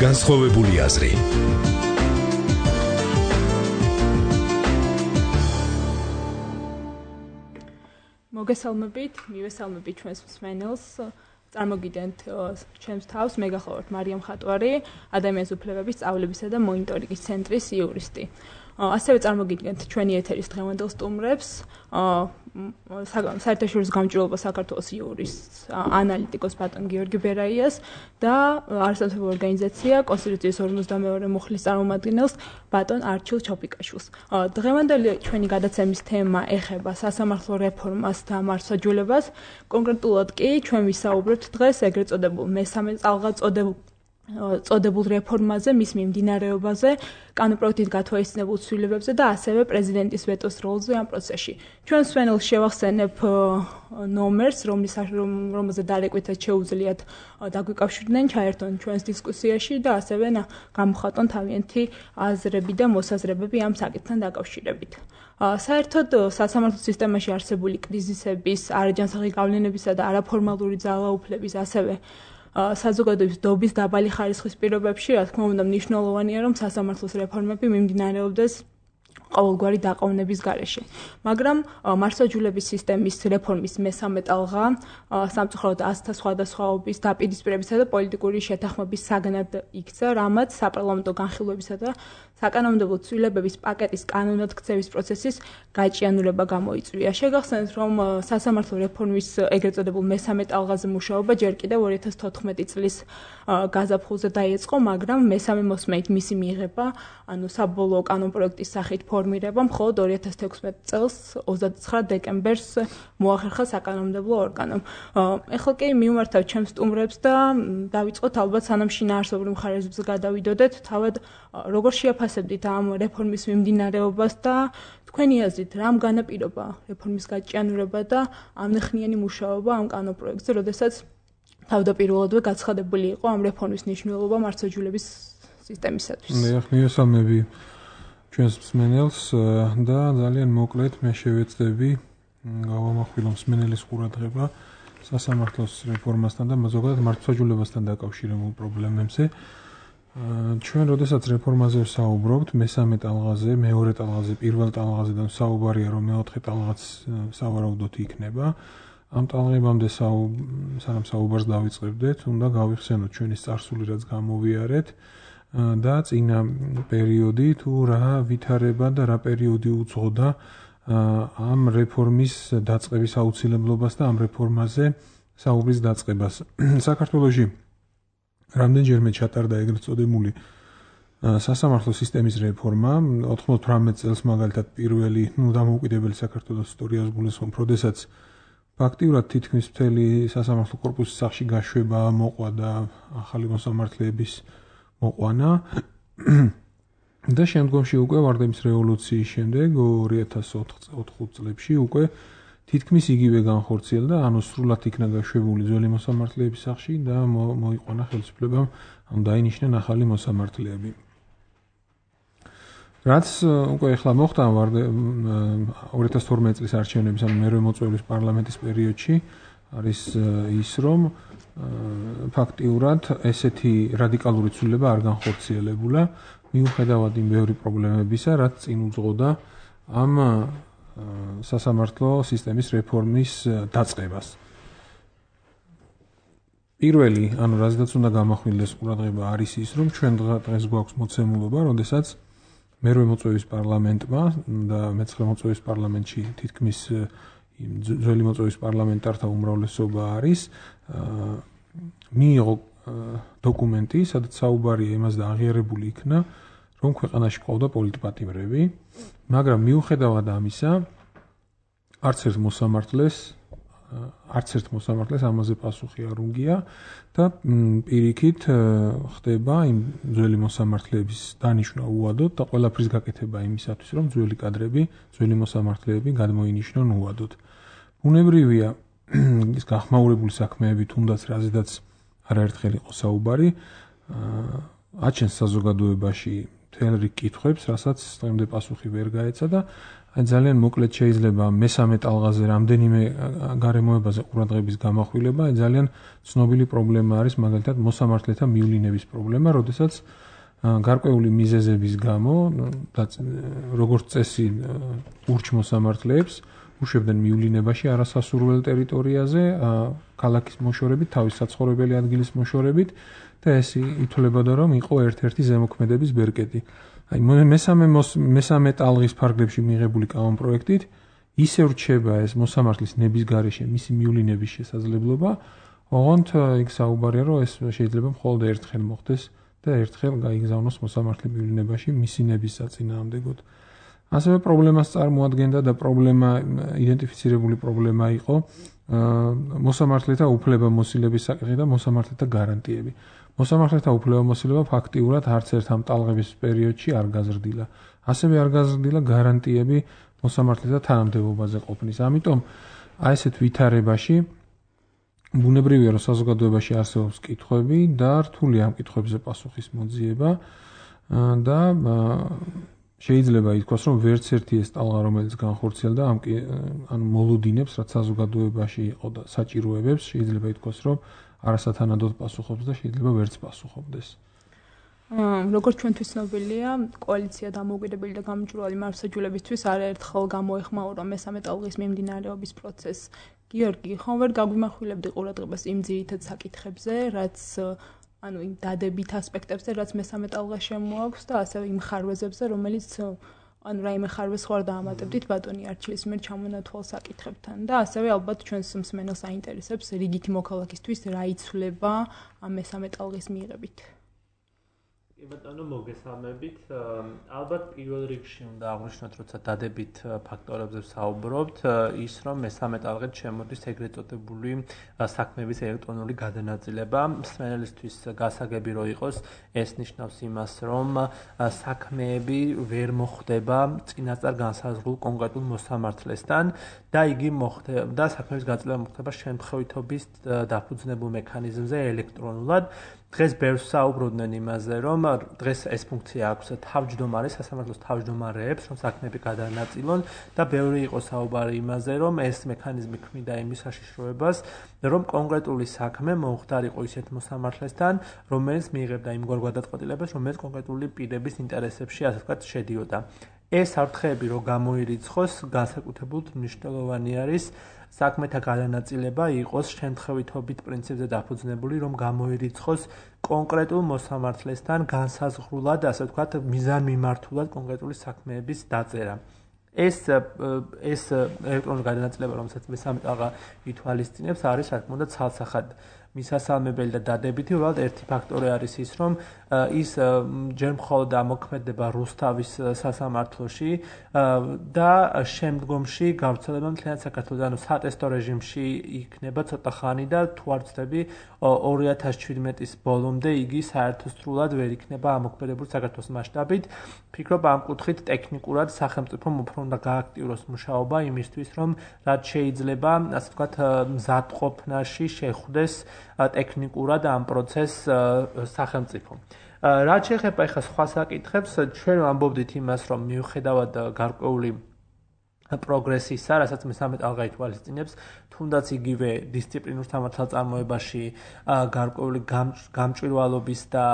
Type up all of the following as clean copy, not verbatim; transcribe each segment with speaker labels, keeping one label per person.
Speaker 1: განსხვავებული აზრი.
Speaker 2: მოგესალმებით, მივესალმებით ჩვენს მსმენელს. წარმოგიდგენთ ჩემს თავს, მე გახლავართ მარიამ ხატვარი, ადამიანის უფლებების სწავლებისა და მონიტორინგის ცენტრის იურისტი. ასევე წარმოგიდგენთ ჩვენი ეთერის დღევანდელ სტუმრებს, საერთაშორისო გამჭვირვალობა საქართველოს იურისტს, ანალიტიკოს ბატონ გიორგი ბერაიას და არასამთავრობო ორგანიზაცია კონსტიტუციის 52 მუხლის წარმომადგენელს ბატონ არჩილ ჩოპიკაშვილს. დღევანდელი ჩვენი გადაცემის თემა ეხება სასამართლო რეფორმას და მართლმსაჯულებას. კონკრეტულად კი ჩვენ ვისაუბრებთ დღეს ეგრეთ წოდებულ მესამე წალღად წოდებულ რეფორმაზე, მის მიმდინარეობაზე, კანონპროექტით გათვალისწინებულ ცვლილებებზე და ასევე პრეზიდენტის ვეტოს როლზე ამ პროცესში. ჩვენ მსმენელს შევახსენებ ნომერს, რომელზე დარეკვითად შეუძლიათ დაგვიკავშირდნენ, ჩაერთონ ჩვენს დისკუსიაში და ასევე გამოხატონ თავიანთი აზრები და მოსაზრებები ამ საკითხთან დაკავშირებით. საერთოდ სასამართლო სისტემაში არსებული კრიზისების, არაჯანსაღი გავლენებისა და არაფორმალური ძალაუფლების, ასევე საზოგადოების დობის დაბალი ხარისხის პირობებში, რა თქმა უნდა, მნიშვნელოვანია, რომ სასამართლოს რეფორმები მიმდინარეობდეს ყოველგვარი დაყოვნების გარეშე. მაგრამ მართლმსაჯულების სისტემის რეფორმის მესამე ტალღა სამწუხაროდ ასთა სხვადასხვაობის, დაპირისპირებისა და პოლიტიკური შეთანხმების საგნად იქცა, რამაც საპარლამენტო განხილვებისა და საკანონმდებლო ცვლილებების პაკეტის კანონად ქცევის პროცესის გაჭიანურება გამოიწვია. შეგახსენეთ, რომ სასამართლო რეფორმის ეგრეთ წოდებულ მესამე ტალღაზე მუშაობა ჯერ კიდევ 2014 წლის გაზაფხულზე დაიწყო, მაგრამ მესამე მოსმენით მისი მიღება, ანუ საბოლოო კანონპროექტის სახით ფორმირება მხოლოდ 2016 წელს 29 დეკემბერს მოახერხა საკანონმდებლო ორგანომ. ეხლა კი მივმართავთ ჩემს სტუმრებს და დავიწყოთ ალბათ სანამ შინაარსობრივ მხარეებზე გადავიდოდეთ, თავად როგორ შეაფასებდით ამ რეფორმის მიმდინარეობას და თქვენი აზრით რამ განაპირობა რეფორმის გაჭიანურება და ამნახნიანი მუშაობა ამ კანონპროექტზე, როდესაც თავდაპირველადვე გაცხადებული იყო ამ რეფორმის მნიშვნელობა მართლმსაჯულების სისტემისათვის.
Speaker 3: მივესალმები ჩვენს მსმენელს და ძალიან მოკლედ მე შევეცდები გავამახვილო მსმენელის ყურადღება სასამართლოს რეფორმასთან და ზოგადად მართლმსაჯულებასთან დაკავშირებულ პრობლემებზე. ჩვენ როდესაც რეფორმაზე ვსაუბრობთ, მესამე ტალღაზე, მეორე ტალღაზე, პირველ ტალღაზე და საუბარია, რომ მეოთხე ტალღაც სავარაუდოდ იქნება. ამ ტალღებამდე სანამ საუბარს დავიწყებდეთ, უნდა გავიხსენოთ ჩვენი წარსული, რაც გამოვიარეთ და წინა პერიოდი თუ რა ვითარება და რა პერიოდი უძღოდა ამ რეფორმის დაწყების აუცილებლობას და ამ რეფორმაზე საუბრის დაწყებას. საქართველოში რამდენჯერმე ჩატარდა ეგრეთ წოდებული სასამართლო სისტემის რეფორმა 98 წელს მაგალითად პირველი დამოუკიდებელი საქართველოს ისტორიას გულისხმობ, როდესაც ფაქტიურად თითქმის მთელი სასამართლო კორპუსის სახში გაშვება მოყვა და ახალი მოსამართლეების მოყვანა და შემდგომში უკვე ვარდების რევოლუციის შემდეგ 2004 წლებში უკვე თითქმის იგივე განხორციელდა, ანუ სრულად იქნა გაშვებული ძველი მოსამართლეების სახში და მოიყვანა ხელისუფლებამ, ანუ დაინიშნენ ახალი მოსამართლეები. რაც უკვე ახლა მოხდა 2012 წლის არჩევნების, ანუ მერვე მოწვევის პარლამენტის პერიოდში არის ის, რომ ფაქტიურად ესეთი რადიკალური ცვლილება არ განხორციელებულა, მიუხედავად იმ ბევრი პრობლემებისა, რაც წინ უძღოდა ამ სასამართლო სისტემის რეფორმის დაწყებას. პირველი, ანუ რაზეც უნდა გამახვილდეს ყურადღება, არის ის, რომ ჩვენ დღეს გვაქვს მოცემულობა, როდესაც მერვე მოწვევის პარლამენტმა და მეცხრე მოწვევის პარლამენტში თითქმის ძველი მოწვევის პარლამენტართა უმრავლესობა არის, მიიღო დოკუმენტი, სადაც საუბარია იმაზე აღიარებული იქნა, რომ ქვეყანაში ყავდა პოლიტპატიმრები, მაგრამ მიუხედავად ამისა, არც ერთ მოსამართლეს ამაზე პასუხი არ უნგია და პირიქით ხდება იმ ძველი მოსამართლეების დანიშვნა უადოდ და ყველაფრის გაკეთება იმისათვის, რომ ძველი კადრები, ძველი მოსამართლეები გადმოინიშნონ უადოდ. ბუნებრივია ის გახმაურებული საქმეები, თუნდაც რაზედაც არაერთხელ იყო საუბარი, აჩენს საზოგადოებაში მთელ რიგ კითხვებს, რასაც დღემდე პასუხი ვერ გაეცა და აი ძალიან მოკლედ შეიძლება მესამე ტალღაზე რამდენიმე გარემოებაზე ყურადღების გამახვილება, აი ძალიან ცნობილი პრობლემა არის მაგალითად მოსამართლეთა მივლინების პრობლემა, როდესაც გარკვეული მიზეზების გამო როგორც წესი ურჩმოსამართლეებს უშვებდნენ მივლინებაში არასასურველ ტერიტორიაზე, ქალაქის მოშორებით, თავის საცხოვრებელი ადგილის მოშორებით და ეს ითვლებოდა რომ იყო ერთ-ერთი ზემოქმედების ბერკეტი. აი მესამე ტალღის ფარგლებში მიღებული კანონპროექტით ისევ რჩება ეს მოსამართლის ნების გარეშე მისი მივლინების შესაძლებლობა, ოღონდ იქ საუბარია რომ ეს შეიძლება მხოლოდ ერთხელ მოხდეს და ერთხელ გაიგზავნოს მოსამართლე მივლინებაში მისი ნების საწინააღმდეგოდ. ასევე პრობლემას წარმოადგენდა და იდენტიფიცირებული პრობლემა იყო მოსამართლეთა უფლებამოსილების საკითხი და მოსამართლეთა გარანტიები. მოსამართლეთა უფლებამოსილება ფაქტიურად არც ერთ ამ ტალღების პერიოდში არ გაზრდილა. ასევე არ გაზრდილა გარანტიები მოსამართლეთა თანამდებობაზე ყოფნის. ამიტომ აი ესეთ ვითარებაში ბუნებრივია რომ საზოგადოებაში არსებობს კითხვები და რთულია ამ კითხვებზე პასუხის მოძიება და შეიძლება ითქვას რომ ვერც ერთი ეს ტალღა რომელიც განხორციელდა ანუ მოლოდინებს რაც საზოგადოებაში იყო და საჭიროებებს შეიძლება ითქვას რომ არასათანადოდ პასუხობს და შეიძლება ვერც პასუხობდეს.
Speaker 2: როგორც ჩვენთვის ცნობილია, კოალიცია დამოუკიდებელი და გამჭვირვალე მართლმსაჯულებისთვის არაერთხელ გამოეხმაურა მესამე ტალღის მიმდინარეობის პროცესს. გიორგი, ხომ ვერ გაგვიმახვილებდი ყურადღებას იმ ძირითად საკითხებზე, რაც ანუ იმ დადებით ასპექტებზე, რაც მესამე ტალღას შემოაქვს და ასევე იმ ხარვეზებზე, რომელიც ანუ რაიმე ხარვეზს ხარ დაამატებდით ბატონი არჩილის მიერ ჩამონათვალ საკითხებთან და ასევე ალბათ ჩვენს მსმენელს აინტერესებს რიგითი მოქალაქისთვის რა იცვლება ამ მესამე ტალღის მიღებით.
Speaker 1: ბატონო მოგესალმებით. ალბათ პირველ რიგში უნდა აღვნიშნოთ, როცა დადებით ფაქტორებზე ვსაუბრობთ, ის რომ მესამე ტალღით შემოდის ეგრეთ წოდებული საქმეების ელექტრონული გადანაწილება. მსმენელისთვის გასაგები რო იყოს, ეს ნიშნავს იმას, რომ საქმეები ვერ მოხდება წინასწარ განსაზღვრულ კონკრეტულ მოსამართლესთან და იგი მოხდება საქმეების განაწილება მოხდება შემთხვევითობის დაფუძნებულ მექანიზმზე ელექტრონულად. დღეს ბევრს საუბრობდნენ იმაზე, რომ დღეს ეს ფუნქცია აქვს თავმჯდომარეს, სასამართლოს თავმჯდომარეებს, რომ საქმეები გადაანაწილონ და ბევრი იყო საუბარი იმაზე, რომ ეს მექანიზმი ქმნიდა იმის საშიშროებას, რომ კონკრეტული საქმე მომხდარიყო ისეთ მოსამართლესთან, რომელიც მიიღებდა იმგვარ გადაწყვეტილებას, რომელიც კონკრეტული პირების ინტერესებში, ასე ვთქვათ, შედიოდა. ეს საფრთხეები რო გამოირიცხოს, განსაკუთრებულად მნიშვნელოვანი არის საქმეთა გადანაწილება იყოს შემთხვევითობით პრინციპზე დაფუძნებული, რომ გამოირიცხოს კონკრეტულ მოსამართლესთან განსაზღვრულად, ასე ვთქვათ, მიზანმიმართულად კონკრეტული საქმეების დაწერა. ეს ელექტრონული გადანაწილება, რომელსაც მესამე ტალღა ითვალისწინებს, არის რა თქმა უნდა ცალსახად მისასალმებელი და დადებითი, უბრალოდ ერთი ფაქტორი არის ის, რომ ის ჯერ მხოლოდ ამოქმედება რუსთავის სასამართლოში და შემდგომში გავრცელება მთლიანად საქართველოს, ანუ სატესტო რეჟიმში იქნება ცოტა ხანი და თუ არ ვცდები 2017-ის ბოლომდე იგი საერთოსრულად ვერ იქნება ამოქმედებული საქართველოს მასშტაბით. ფიქრობ ამ კუთხით ტექნიკურად სახელმწიფომ უფრო უნდა გააქტიუროს მუშაობა იმისთვის, რომ რაც შეიძლება, ასე ვთქვათ, მზადყოფნაში შეხვდეს ტექნიკურად ამ პროცესს სახელმწიფო. რაც შეეხება ახლა სხვა საკითხებს, ჩვენ ვამბობდით იმას, რომ მიუხედავად გარკვეული პროგრესისა, რასაც მესამე ტალღა ითვალისწინებს, თუნდაც იგივე დისციპლინურ სამართალწარმოებაში გარკვეული გამჭვირვალობის და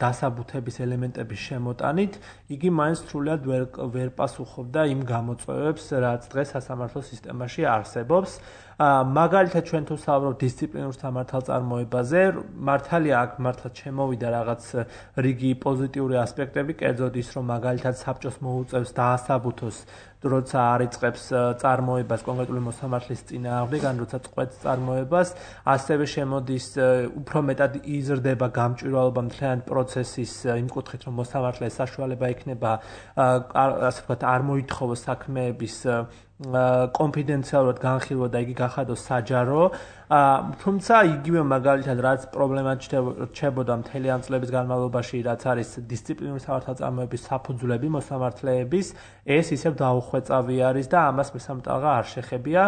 Speaker 1: დასაბუთების ელემენტების შემოტანით, იგი მაინც სრულად ვერ პასუხობდა იმ გამოწვევებს, რაც დღეს სასამართლო სისტემაში არსებობს. მაგალითად ჩვენ თუ საუბრობთ დისციპლინურ სამართალწარმოებაზე, მართალია აქ მართლა შემოვიდა რაღაც რიგი პოზიტიური ასპექტები, კერძოდ ის, რომ მაგალითად საბჭოს მოუწევს დაასაბუთოს როცა არიწყებს წარმოებას კონკრეტული მოსამართლის წინააღმდეგ, ან როცა წყვეტს წარმოებას, ასევე შემოდის უფრო მეტად იზრდება გამჭვირვალობა მთლიან პროცესის იმ კუთხით, რომ მოსამართლეს საშუალება იქნება, ასე ვთქვათ, არ მოითხოვოს საქმეების კონფიდენციალურად განხილვა და იგი გახადოს საჯარო. თუმცა იგივე მაგალითად რაც პრობლემა რჩებოდა მთელი ამ წლების განმავლობაში, რაც არის დისციპლინური სამართალწარმოების საფუძვლები მოსამართლეების, ეს ისევ დაუხვეწავი არის და ამას მესამტალღა არ შეხებია.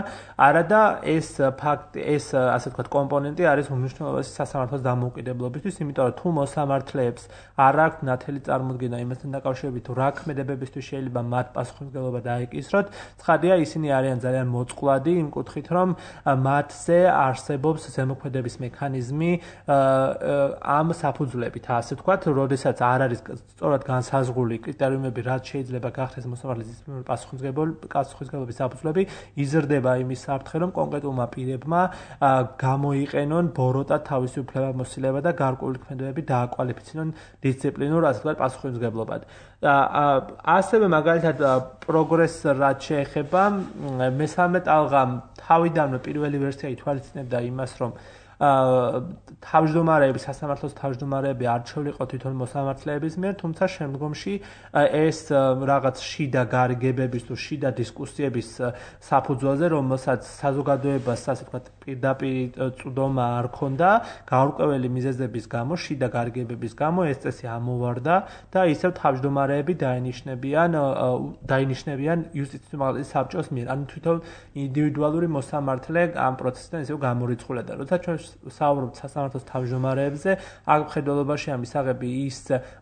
Speaker 1: არადა ეს ფაქტი, ეს ასე ვთქვათ კომპონენტი არის უმნიშვნელოვანესი სასამართლოს დამოუკიდებლობისთვის, იმიტომ რომ თუ მოსამართლეებს არ აქვთ ნათელი წარმოდგენა იმასთან დაკავშირებით, თუ რა ქმედებებისთვის შეიძლება მათ პასუხისმგებლობა დაეკისროთ, ცხადია ისინი არიან ძალიან მოწყვლადი იმ კუთხით, რომ მათზე არსებობს ზემოქმედების მექანიზმი ამ საფუძვლებით, ასე ვთქვათ, როდესაც არ არის სწორად განსაზღვრული კრიტერიუმები, რაც შეიძლება გახდეს მოსამართლეს დისციპლინური პასუხისმგებლობის საფუძვლები, იზრდება იმის საფრთხე, რომ კონკრეტულმა პირებმა გამოიყენონ ბოროტად თავისი უფლებამოსილება და გარკვეული ქმედებები დააკვალიფიცირონ დისციპლინურ, ასე ვთქვათ, პასუხისმგებლობად. ასევე მაგალითად პროგრესს რაც შეეხება, მესამე ტალღა თავიდანვე პირველი ვერსია ითვალისწინებდა იმას, რომ თავმჯდომარეები, სასამართლოს თავმჯდომარეები არჩეულიყო თვითონ მოსამართლეების მიერ, თუმცა შემდგომში ეს რაღაც შიდა გარიგებების თუ შიდა დისკუსიების საფუძველზე, რომელსაც საზოგადოებას, ასე ვთქვათ, პირდაპირ წვდომა არ ქონდა, გაურკვეველი მიზეზების გამო, შიდა გარიგებების გამო ეს წესი ამოვარდა და ისევ თავმჯდომარეები დაინიშნებიან იუსტიციური მაღლობის საბჭოს მიერ. ანუ თვითონ ინდივიდუალური მოსამართლე ამ პროცესიდან ისევ გამორიცხულდა. როცა ჩვენ საუბრობთ სასამართლოს თავმჯდომარეებზე, აქ მხედველობაში ამისაღები ის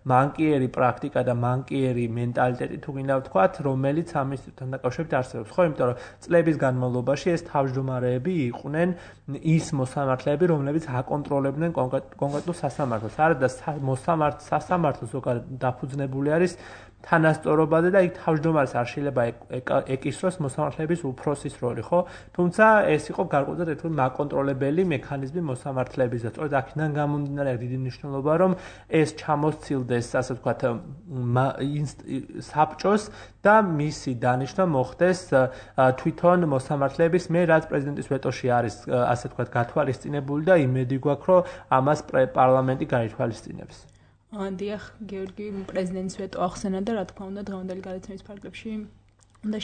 Speaker 1: მანკიერი პრაქტიკა და მანკიერი მენტალიტეტი თუ გინდა ვთქვათ, რომელიც ამ ინსტიტუტთან დაკავშირებით არსებობს. ხო, იმიტომ რომ წლების განმავლობაში ეს თავმჯდომარეები იყვნენ ის მოსამართლეები, რომლებიც აკონტროლებდნენ კონკრეტულ სასამართლოს. არადა სასამართლო ზოგადად დაფუძნებული არის თანასწორობაზე და იქ თავმჯდომარეს არ შეიძლება ეკისროს მოსამართლეების უფროსის როლი, ხო? თუმცა ეს იყო გარკვეულწილად ერთგვარი მაკონტროლებელი მექანიზმი მოსამართლეების და სწორედ აქედან გამომდინარე დიდი მნიშვნელობა, რომ ეს ჩამოსცილდეს, ასე ვთქვათ, საბჭოს და მისი დანიშვნა მოხდეს თვითონ მოსამართლეების მიერ, რაც პრეზიდენტის ვეტოში არის, ასე ვთქვათ, გათვალისწინებული და იმედი გვაქვს, რომ ამას პარლამენტი გაითვალისწინებს.
Speaker 2: დიახ, გიორგი, პრეზიდენტის ვეტო ახსენა და რა თქმა უნდა დღევანდელი გადაცემის ფარგლებში უნდა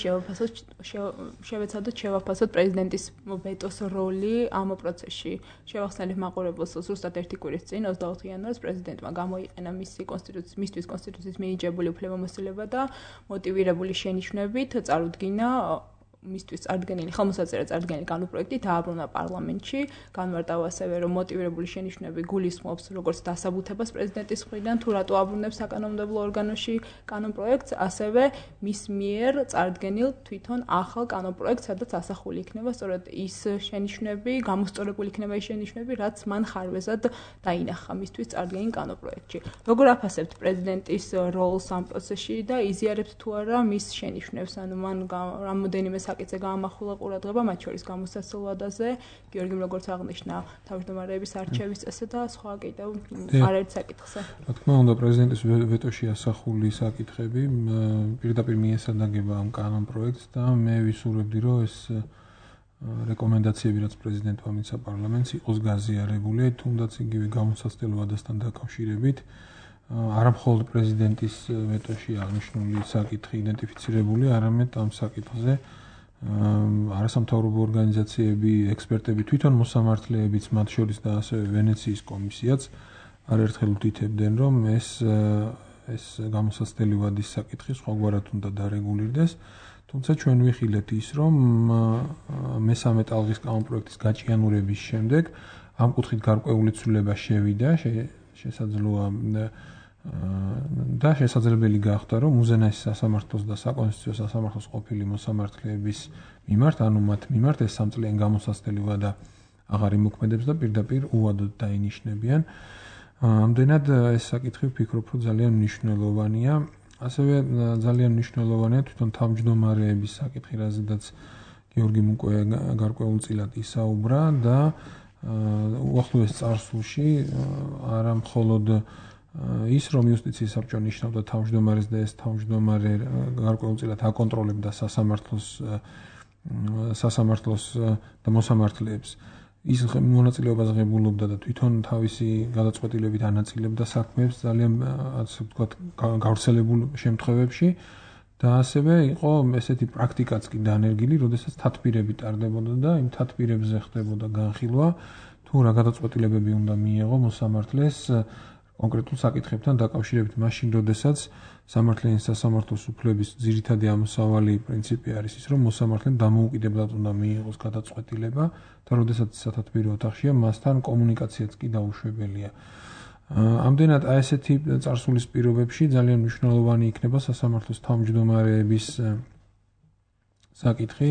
Speaker 2: შევეცადოთ შევაფასოთ პრეზიდენტის ვეტოს როლი ამ პროცესში. შევახსენებ მაყურებელს, ზუსტად ერთი კვირის წინ 24 იანვარს პრეზიდენტმა გამოიყენა მისთვის კონსტიტუციის მინიჭებული უფლებამოსილება და მოტივირებული შენიშვნებით წარუდგინა მისთვის წარდგენილი ხელმოსაწერა წარდგენილი კანონპროექტი დააბრუნა პარლამენტში. განმარტავა ასევე, რომ მოტივირებული შენიშვნები გულისხმობს როგორც დასაბუთებას პრეზიდენტის მხრიდან, თუ რატო აბრუნებს საკანონმდებლო ორგანოში კანონპროექტს, ასევე მის მიერ წარდგენილ თვითონ ახალ კანონპროექტს, სადაც ასახული იქნება სწორედ ის შენიშვნები, გამოსწორებული იქნება ის შენიშვნები, რაც მან ხარვეზად დაინახა მისთვის წარდგენილ კანონპროექტში. როგორ აფასებთ პრეზიდენტის როლს ამ პროცესში და იზიარებთ თუ არა მის შენიშვნებს, ანუ მან რამოდენიმე საკითხზე გაამახვილა ყურადღება, მათ შორის გამოსაცილ ვადაზე, გიორგიმ როგორც აღნიშნა, თავმჯდომარეების არჩევის წესზე და სხვა კიდევ არაერთ საკითხზე.
Speaker 3: რა თქმა უნდა, პრეზიდენტის ვეტოში ასახული საკითხები პირდაპირ მიესადაგება ამ კანონპროექტს და მე ვისურვებდი, რომ ეს რეკომენდაციები, რაც პრეზიდენტმა მიცა პარლამენტს, იყოს გაზიარებული, თუნდაც იგივე გამოსაცილ ვადასთან დაკავშირებით. არა მხოლოდ პრეზიდენტის ვეტოში აღნიშნული საკითხი იდენტიფიცირებული, არამედ ამ საკითხზე არასამთავრობო ორგანიზაციები, ექსპერტები, თვითონ მოსამართლეებიც, მათ შორის და ასევე ვენეციის კომისიაც არაერთხელ უთითებდნენ, რომ ეს გამოსაცდელი ვადის საკითხი სხვაგვარად უნდა დარეგულირდეს. თუმცა ჩვენ ვიხილეთ ის, რომ მესამე ტალღის კანონპროექტის გაჭიანურების შემდეგ ამ კუთხით გარკვეული ცვლილება შევიდა, შესაძლოა და შესაძლებელი გახდა, რომ უზენაესი სასამართლოს და საკონსტიტუციო სასამართლოს ყოფილი მოსამართლეების მიმართ, ანუ მათ მიმართ ეს სამწლიანი გამოსაცდელი ვადა აღარ იმოქმედებს და პირდაპირ უვადოდ დაინიშნებიან. ამდენად ეს საკითხი ვფიქრობ, რომ ძალიან მნიშვნელოვანია. ასევე ძალიან მნიშვნელოვანია თვითონ თავმჯდომარეების საკითხი, რაზედაც გიორგიმ უკვე გარკვეულწილად ისაუბრა და უახლოეს წარსულში არა მხოლოდ ის, რომ იუსტიციის საბჭო ნიშნავდა თავმჯდომარეს და ეს თავმჯდომარე გარკვეულწილად აკონტროლებდა სასამართლოს და მოსამართლეებს, ის მონაწილეობას ღებულობდა და თვითონ თავისი გადაწყვეტილებით ანაწილებდა საქმეებს ძალიან, ასე ვთქვათ, გავრცელებულ შემთხვევებში და ასევე იყო ესეთი პრაქტიკაც კი დანერგილი, როდესაც თათბირები ტარდებოდა და იმ თათბირებზე ხდებოდა განხილვა, თუ რა გადაწყვეტილებები უნდა მიიღო მოსამართლეს კონკრეტულ საკითხებთან დაკავშირებით, მაშინ, როდესაც სამართლიანი სასამართლოს უფლების ძირითადი ამოსავალი პრინციპი არის ის, რომ მოსამართლემ დამოუკიდებლად უნდა მიიღოს გადაწყვეტილება და როდესაც სათათბირო ოთახშია, მასთან კომუნიკაციაც კი დაუშვებელია. ამდენად ესეთი წარსულის პირობებში ძალიან მნიშვნელოვანი იქნება სასამართლოს თავმჯდომარეების საკითხი,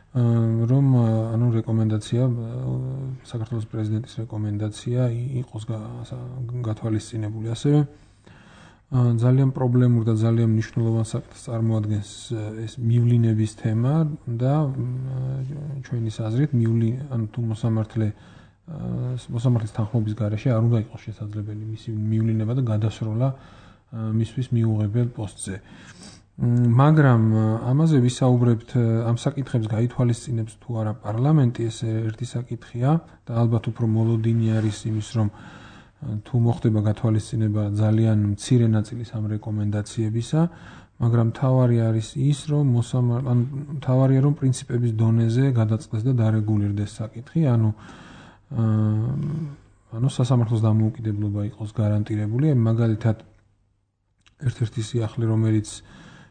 Speaker 3: რომ რეკომენდაცია საქართველოს პრეზიდენტის რეკომენდაცია იყოს გათვალისწინებული. ასევე ძალიან პრობლემურ და ძალიან მნიშვნელოვან საკითხს წარმოადგენს ეს მივლინების თემა და ჩვენის აზრით თუ მოსამართლის თანხმობის გარეშე არ უნდა იყოს შესაძლებელი მისი მივლინება და გადასროლა მისთვის მიუღებელ პოსტზე. მაგრამ ამაზე ვისაუბრებთ, ამ საკითხებს გაითვალისწინებს თუ არა პარლამენტი, ეს ერთი საკითხია და ალბათ უფრო მოლოდინი არის იმის, რომ თუ მოხდება გათვალისწინება ძალიან მცირე ნაწილის ამ რეკომენდაციებისა, მაგრამ თავარი არის ის, რომ თავარია რომ პრინციპების დონეზე გადაწყდეს და დარეგულირდეს საკითხი, ანუ სასამართლოს დამოუკიდებლობა იყოს გარანტირებული. მაგალითად, ერთ-ერთი სიახლე, რომელიც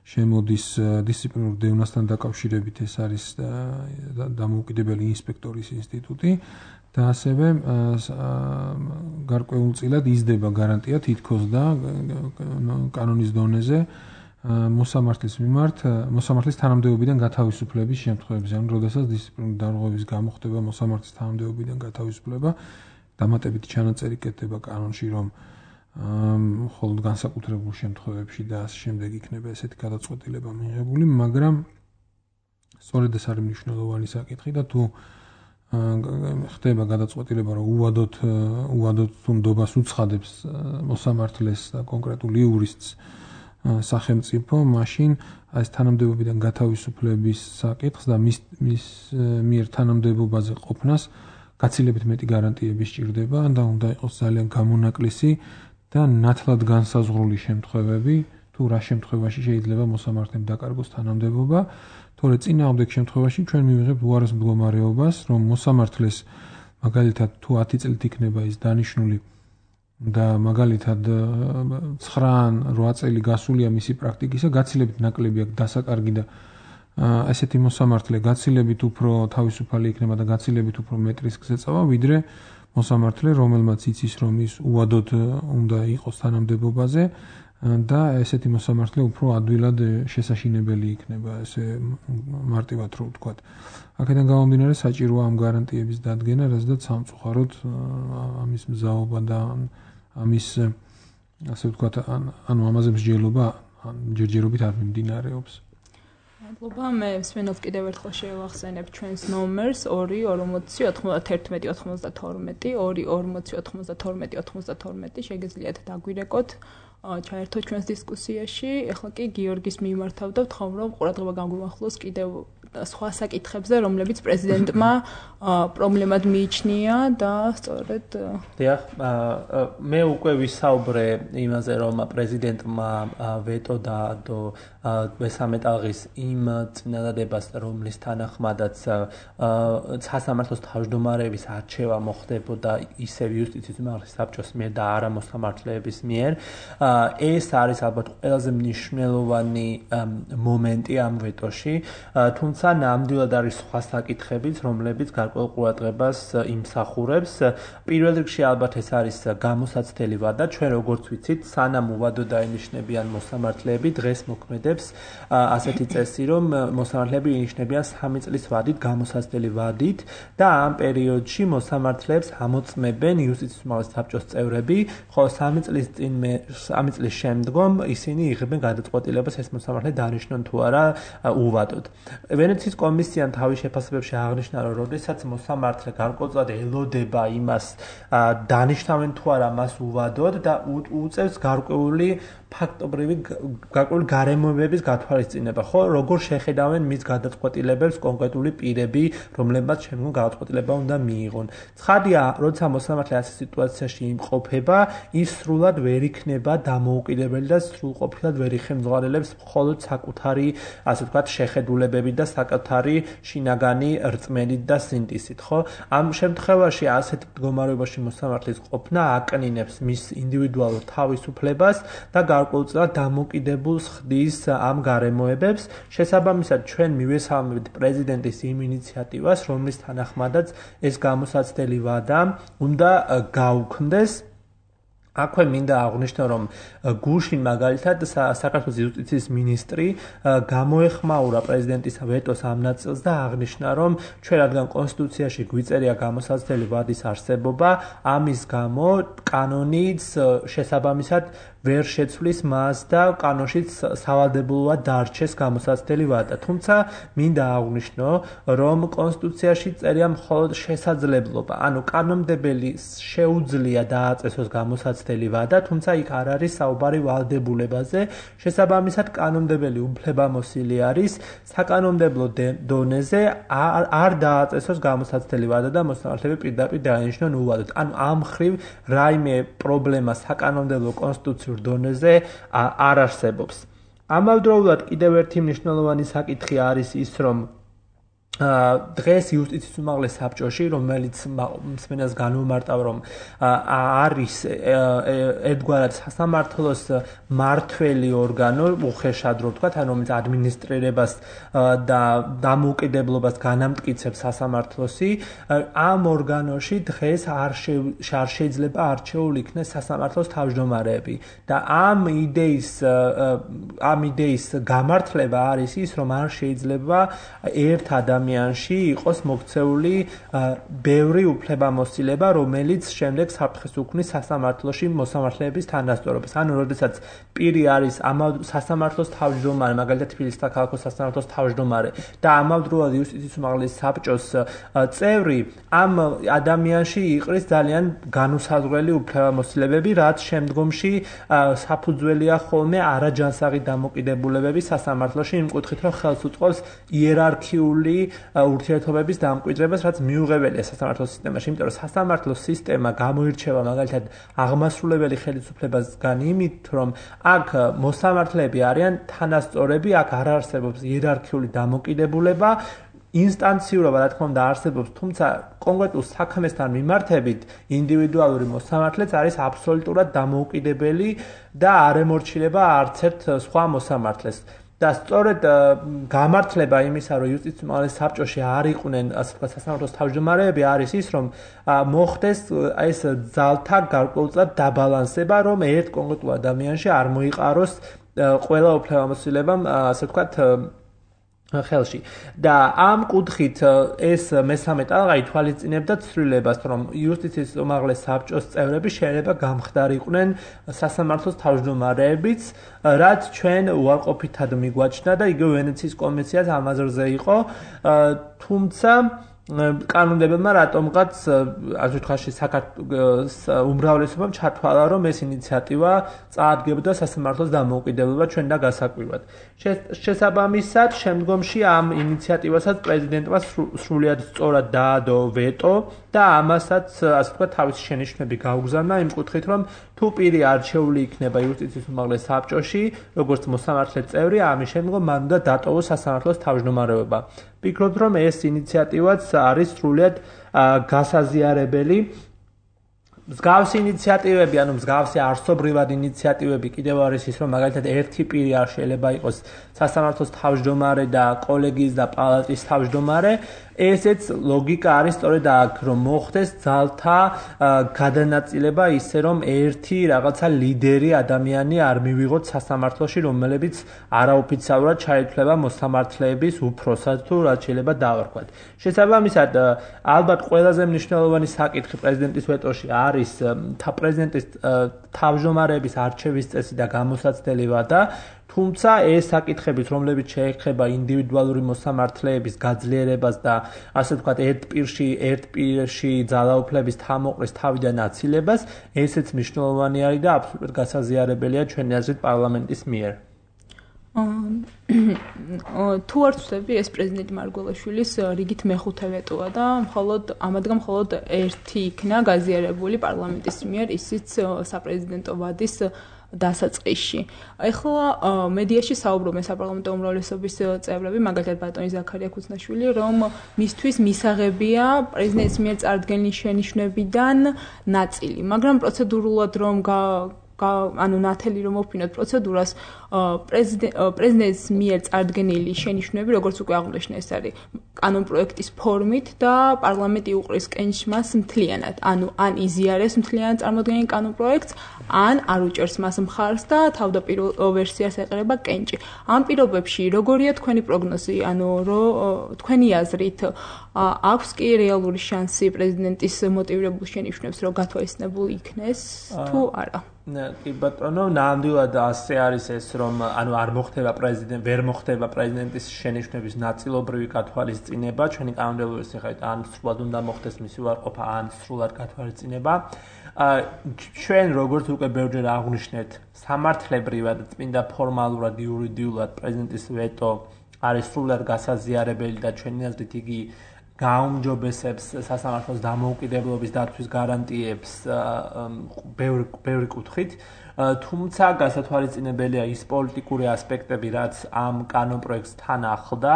Speaker 3: შემოდის დისციპლინურ დევნასთან დაკავშირებით, ეს არის დამოუკიდებელი ინსპექტორის ინსტიტუტი და ასევე გარკვეულწილად იზრდება გარანტია თითქოს და კანონის დონეზე მოსამართლის თანამდებობიდან გათავისუფლების შემთხვევებში, ანუ როდესაც დისციპლინური დარღვევის გამო ხდება მოსამართლის თანამდებობიდან გათავისუფლება, დამატებითი ჩანაწერი კეთდება კანონში, რომ მხოლოდ განსაკუთრებულ შემთხვევებში და ასე შემდეგ იქნება ესეთი გადაწყვეტილება მიღებული, მაგრამ სწორედ ეს არის მნიშვნელოვანი საკითხი და თუ ხდება გადაწყვეტილება, რომ უვადოდ თუ ნდობას უცხადებს მოსამართლეს და კონკრეტულ იურისტს სახელმწიფო, მაშინ ეს თანამდებობიდან გათავისუფლების საკითხს და მის მიერ თანამდებობაზე ყოფნას გაცილებით მეტი გარანტიები სჭირდება და უნდა იყოს ძალიან გამონაკლისი და ნათლად განსაზღვრული შემთხვევები, თუ რა შემთხვევაში შეიძლება მოსამართლემ დაკარგოს თანამდებობა, თორე წინააღმდეგ შემთხვევაში ჩვენ მივიღებთ უარეს მდგომარეობას, რომ მოსამართლეს მაგალითად თუ 10 წლით იქნება ის დანიშნული და მაგალითად 9-8 წელი გასულია მისი პრაქტიკისა, გაცილებით ნაკლები აქვს დასაკარგი და ესეთი მოსამართლე გაცილებით უფრო თავისუფალი იქნება და გაცილებით უფრო მეტ რისკს ეწევა, ვიდრე მოსამართლე, რომელმაც იცის, რომ ის უვადოდ უნდა იყოს თანამდებობაზე და ესეთი მოსამართლე უფრო ადვილად შესაშინებელი იქნება, ესე მარტივად რო ვთქვათ. აქედან გამომდინარე საჭიროა ამ გარანტიების დადგენა, რადგან სამწუხაროდ ამის მზაობა და ამის ასე ვთქვათ, ანუ ამაზე მსჯელობა ჯერჯერობით არ მიმდინარეობს.
Speaker 2: მადლობა, მე მსმენელს კიდევ ერთხელ შევახსენებ ჩვენს ნომერს 2-40-91-92, შეგიძლიათ დაგვირეკოთ, ჩაერთოთ ჩვენს დისკუსიაში. ეხლა კი გიორგის მიმართავ და ვთხოვ, რომ ყურადღება გამგვიმახვილოს კიდევ სხვა საკითხებზე, რომლებიც პრეზიდენტმა პრობლემად მიიჩნია და სწორედ
Speaker 1: დიახ, მე უკვე ვისაუბრე იმაზე, რომ პრეზიდენტმა ვეტო დაადო მესამე ტალღის იმ წინადადებას, რომლის თანახმადაც სასამართლოს თავმჯდომარეების არჩევა მოხდებოდა ისევ იუსტიციის უმაღლესი საბჭოს მიერ და არა მოსამართლეების მიერ. ეს არის ალბათ ყველაზე მნიშვნელოვანი მომენტი ამ ვეტოში, თუმცა ნამდვილად არის სხვა საკითხებიც, რომლებიც გარკვეულ ყურადღებას იმსახურებს. პირველ რიგში ალბათ ეს არის გამოსაცდელი ვადა, ჩვენ როგორც ვიცით, სანამ უვადოდ დაინიშნებიან მოსამართლეები, დღეს მოქმედებს ასეთი წესი, რომ მოსამართლეები ინიშნებიან 3 წლის ვადით, გამოსაცდელი ვადით და ამ პერიოდში მოსამართლეებს ამოწმებენ იუსტიციის უმაღლესი საბჭოს წევრები, ხოლო 3 წლის შემდგომ ისინი იღებენ გადაწყვეტილებას ეს მოსამართლე დანიშნონ თუ არა უვადოდ. ვენეციის კომისიამ თავის შეფასებებში აღნიშნა, რომ როდესაც მოსამართლე გარკვეულწილად ელოდება იმას, დანიშნავენ თუ არა მას უვადოდ და უწევს გარკვეული ფაქტობრივი გარკვეული გარემოებების გათვალისწინება, ხო, როგორ შეხედავენ მის გადაწყვეტილებებს კონკრეტული პირები, რომლებმაც შემდგომ გადაწყვეტილება უნდა მიიღონ. ცხადია, როცა მოსამართლე ასე სიტუაციაში იმყოფება, ის სრულად ვერ იქნება დამოუკიდებელი და სრულყოფილად ვერ იხელმძღვანელებს მხოლოდ საკუთარი, ასე ვთქვათ, შეხედულებებით და საკუთარი შინაგანი რწმენით და სინტისით, ხო? ამ შემთხვევაში ასეთ მდგომარეობაში მოსამართლის ყოფნა აკნინებს მის ინდივიდუალურ თავისუფლებას და გარკვეულწილად დამოკიდებულს ხდის ამ გარემოებებს. შესაბამისად, ჩვენ მივესალმებით პრეზიდენტის იმ ინიციატივას, რომლის თანახმადაც ეს გამოსაცდელი ვადა უნდა გაუქმდეს. აქვე მინდა აღვნიშნო, რომ გუშინ მაგალითად საქართველოს იუსტიციის მინისტრი გამოეხმაურა პრეზიდენტის ვეტოს ამ ნაწილს და აღნიშნა, რომ ჩვენ რადგან კონსტიტუციაში გვიწერია გამოსაცდელი ვადის არსებობა, ამის გამო კანონიც შესაბამისად ვერ შეცვლის მას და კანონშიც სავალდებულოა დარჩეს გამოსაცდელი ვადა. თუმცა მინდა აღვნიშნო, რომ კონსტიტუციაში წერია მხოლოდ შესაძლებლობა, ანუ კანონმდებელი შეუძლია დააწესოს გამოსაცდელი ვადა, თუმცა იქ არ არის საუბარი ვალდებულებაზე. შესაბამისად, კანონმდებელი უფლებამოსილი არის საკანონმდებლო დონეზე არ დააწესოს გამოსაცდელი ვადა და მოსამართლეები პირდაპირ დაენიშნონ უვადოდ. ანუ ამ მხრივ რაიმე პრობლემა საკანონმდებლო კონსტიტუციურ დონეზე არ არსებობს. ამავდროულად კიდევ ერთი მნიშვნელოვანი საკითხი არის ის, რომ დღეს იუსტიციის უმაღლეს საბჭოში, რომელიც მსმენელს განვმარტავ, რომ არის ერთგვარად სასამართლოს მმართველი ორგანო, უხეშად რო ვთქვათ, ანუ რომელიც ადმინისტრირებას და დამოუკიდებლობას განამტკიცებს სასამართლოსი, ამ ორგანოში დღეს არ შეიძლება არჩეულ იქნეს სასამართლოს თავმჯდომარეები და ამ იდეის გამართლება არის ის, რომ არ შეიძლება ერთ ადამიანში იყოს მოქცეული ბევრი უფლებამოსილება, რომელიც შემდეგ საფრთხეს უქმნის სასამართლოში მოსამართლეების თანასწორობას. ანუ, როდესაც პირი არის სასამართლოს თავმჯდომარე, მაგალითად თბილისის საქალაქო სასამართლოს თავმჯდომარე და ამავდროულად იუსტიციის უმაღლეს საბჭოს წევრი, ამ ადამიანში იყრის ძალიან განუსაზღვრელი უფლებამოსილებები, რაც შემდგომში საფუძველია ხოლმე არაჯანსაღი დამოკიდებულებები სასამართლოში, იმ კუთხით, რომ ხელს უწყობს იერარქიული ურთიერთობების დამკვიდრებას, რაც მიუღებელია სასამართლოს სისტემაში, იმიტომ რომ სასამართლოს სისტემა გამოირჩევა მაგალითად აღმასრულებელი ხელისუფლებასგან იმით, რომ აქ მოსამართლეები არიან თანასწორები, აქ არ არსებობს იერარქიული დამოკიდებულება, ინსტანციურობა, რა თქმა უნდა, არსებობს, თუმცა კონკრეტულ საქმესთან მიმართებით ინდივიდუალური მოსამართლეც არის აბსოლუტურად დამოუკიდებელი და არ ემორჩილება არც ერთ სხვა მოსამართლეს. და სწორედ გამართლება იმისა, რომ იუსტიციის უმაღლეს საბჭოში არ იყვნენ, ასე ვთქვათ, სასამართლოს თავმჯდომარეები, არის ის, რომ მოხდეს ეს ძალთა გარკვეულწილად დაბალანსება, რომ ერთ კონკრეტულ ადამიანში არ მოიყაროს ყველა უფლებამოსილება, ასე ვთქვათ, ხელში. და ამ კუთხით ეს მესამე ტალღა ითვალისწინებდა ცვლილებას, რომ იუსტიციის უმაღლეს საბჭოს წევრები შეიძლება გამხდარიყვნენ სასამართლოს თავმჯდომარეებიც, რაც ჩვენ უარყოფითად მიგვაჩნდა და იგივე ვენეციის კომისიაც ამ აზრზე იყო, თუმცა კანონმდებელმა რატომღაც ასე ვთქვათ საქართველოს უმრავლესობამ ჩათვალა, რომ ეს ინიციატივა წაადგებდა სასამართლოს დამოუკიდებლობა ჩვენ და გასაკვირვად. შესაბამისად, შემდგომში ამ ინიციატივასაც პრეზიდენტმა სრულიად სწორად დაადო ვეტო და ამასაც ასე ვთქვათ თავისი შენიშვნები გაუგზავნა იმ კუთხით, რომ თუ პირი არჩეული იქნება იუსტიციის უმაღლეს საბჭოში, როგორც მოსამართლე წევრი, ამის შემდგომ მან უნდა დატოვოს სასამართლოს თავმჯდომარეობა. ვფიქრობ, რომ ეს ინიციატივაც არის სრულიად გასაზიარებელი. მსგავსი ინიციატივები, ანუ მსგავსი არსობრივად ინიციატივები კიდევ არის ის, რომ მაგალითად ერთი პირი არ შეიძლება იყოს სასამართლოს თავმჯდომარე და კოლეგიის და პალატის თავმჯდომარე. ესეც ლოგიკა არის სწორედ აქ, რომ მოხდეს ძალთა გადანაწილება ისე, რომ ერთი რაღაცა ლიდერი ადამიანი არ მივიღოთ სასამართლოში, რომელებიც არაოფიციალურად ჩაითვლება მოსამართლეების უფროსად თუ რაც შეიძლება დავარქვათ. შესაბამისად, ალბათ ყველაზე მნიშვნელოვანი საკითხი პრეზიდენტის ვეტოში არის პრეზიდენტის თავმჯდომარეების არჩევის წესი და გამოსაცდელი ვადა. თუმცა ეს საკითხებიც, რომლებიც შეეხება ინდივიდუალური მოსამართლეების გაძლიერებას და ასე ვთქვათ, ერთ პირში ძალაუფლების თამოყრის თავიდან აცილებას, ესეც მნიშვნელოვანი არის და აბსოლუტურად გასაზიარებელია ჩვენი აზრით პარლამენტის მიერ.
Speaker 2: თუ არ ვწდები, ეს პრეზიდენტ მარგველაშვილის რიგით მეხუთე ვეტოა და ამადგან მხოლოდ ერთი იქნა გაზიარებული პარლამენტის მიერ, ისიც საპრეზიდენტო ვადის დასაწყისში. Ეხლა მედიაში საუბრობენ საპარლამენტო უმრავლესობის წევრები, მაგალითად ბატონი ზაქარია ქუცნაშვილი, რომ მისთვის მისაღებია პრეზიდენტის მიერ წარდგენილი შენიშვნებიდან ნაწილი, მაგრამ პროცედურულად რომ ნათელი რომ მოვფინოთ პროცედურას, პრეზიდენტის მიერ წარდგენილი შენიშვნები, როგორც უკვე აღნიშნე, ეს არის კანონპროექტის ფორმით და პარლამენტი უყრის კენჭს მას მთლიანად. ან იზიარებს მთლიანად წარმოდგენილ კანონპროექტს, ან არ უჭერს მას მხარს და თავდაპირველ ვერსიას ეყრება კენჭი. ამ პირობებში როგორია თქვენი პროგნოზი, თქვენი აზრით, აქვს კი რეალური შანსი პრეზიდენტის მოტივირებულ შენიშვნებს რომ გათვალისწინებული იქნეს თუ არა?
Speaker 1: კი ბატონო, ნამდვილად ასე არის ეს, რომ ვერ მოხდება პრეზიდენტის შენიშვნების ნაწილობრივი გათვალისწინება, ჩვენი კანონმდებლობის მიხედვით ან სრულად უნდა მოხდეს მისი უარყოფა, ან სრულად გათვალისწინება. ჩვენ როგორც უკვე ბევრჯერ აღვნიშნეთ, სამართლებრივად წმინდა ფორმალურად, იურიდიულად პრეზიდენტის ვეტო არის სრულად გასაზიარებელი და ჩვენი აზრით იგი გაუმჯობესებს სასამართლოს დამოუკიდებლობის დაცვის გარანტიებს ბევრი კუთხით, თუმცა გასათვალისწინებელია ის პოლიტიკური ასპექტები, რაც ამ კანონპროექტს თან ახლდა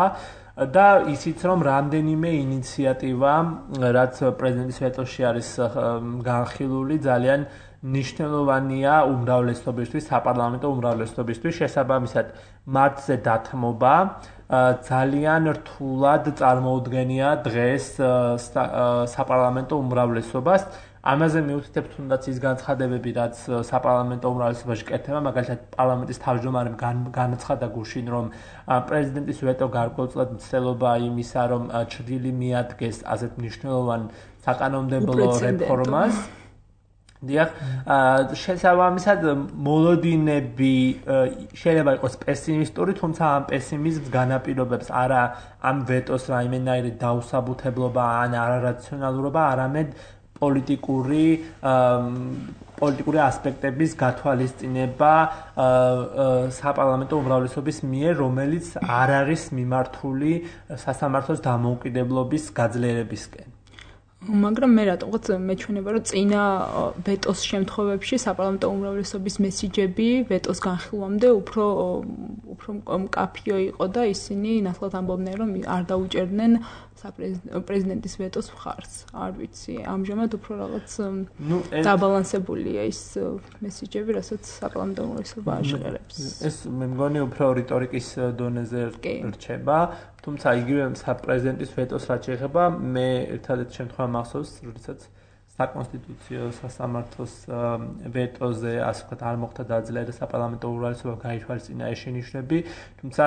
Speaker 1: და ისიც რომ რამდენიმე ინიციატივა, რაც პრეზიდენტის ვეტოში არის განხილული, ძალიან მნიშვნელოვანია უმრავლესობისთვის, საპარლამენტო უმრავლესობისთვის, შესაბამისად მათზე დათმობა ძალიან რთულად წარმოუდგენია დღეს საპარლამენტო უმრავლესობას. ამაზე მივუთითებ თუნდაც ის განცხადებები, რაც საპარლამენტო უმრავლესობაში კეთდება, მაგალითად პარლამენტის თავმჯდომარემ განაცხადა გუშინ, რომ პრეზიდენტის ვეტო გარკვეულწილად მცდელობაა იმისა, რომ ჩრდილი მიადგეს ასეთ მნიშვნელოვან საკანონმდებლო რეფორმას. დიახ, შესაბამისად მოლოდინები შეიძლება იყოს პესიმისტური, თუმცა ამ პესიმიზმს განაპირობებს არა ამ ვეტოს რაიმენაირი დაუსაბუთებლობა ან არარაციონალურობა, არამედ პოლიტიკური ასპექტების გათვალისწინება საპარლამენტო უმრავლესობის მიერ, რომელიც არ არის მიმართული სასამართლოს დამოუკიდებლობის გაძლიერებისკენ.
Speaker 2: მაგრამ მე რატომღაც მეჩვენება, რომ წინა ვეტოს შემთხვევებში საპარლამენტო უმრავლესობის მესიჯები ვეტოს განხილვამდე უფრო მკაფიო იყო და ისინი ნათლად ამბობდნენ, რომ არ დაუჭერდნენ პრეზიდენტის ვეტოს მხარს. არ ვიცი, ამჟამად უფრო რაღაც დაბალანსებულია ის მესიჯები, რასაც საპარლამენტო უმრავლესობა აჟღერებს.
Speaker 1: ეს მე მგონი უფრო რიტორიკის დონეზე რჩება. თუმცა იგივე პრეზიდენტის ვეტოს რაც შეეხება, მე ერთადერთი შემთხვევა მახსოვს, როდესაც საკონსტიტუციო სასამართლოს ვეტოზე, ასე ვთქვათ, არ მოხდა დაძლევა საპარლამენტო უმრავლესობა გაითვალისწინა ეს შენიშვნები, თუმცა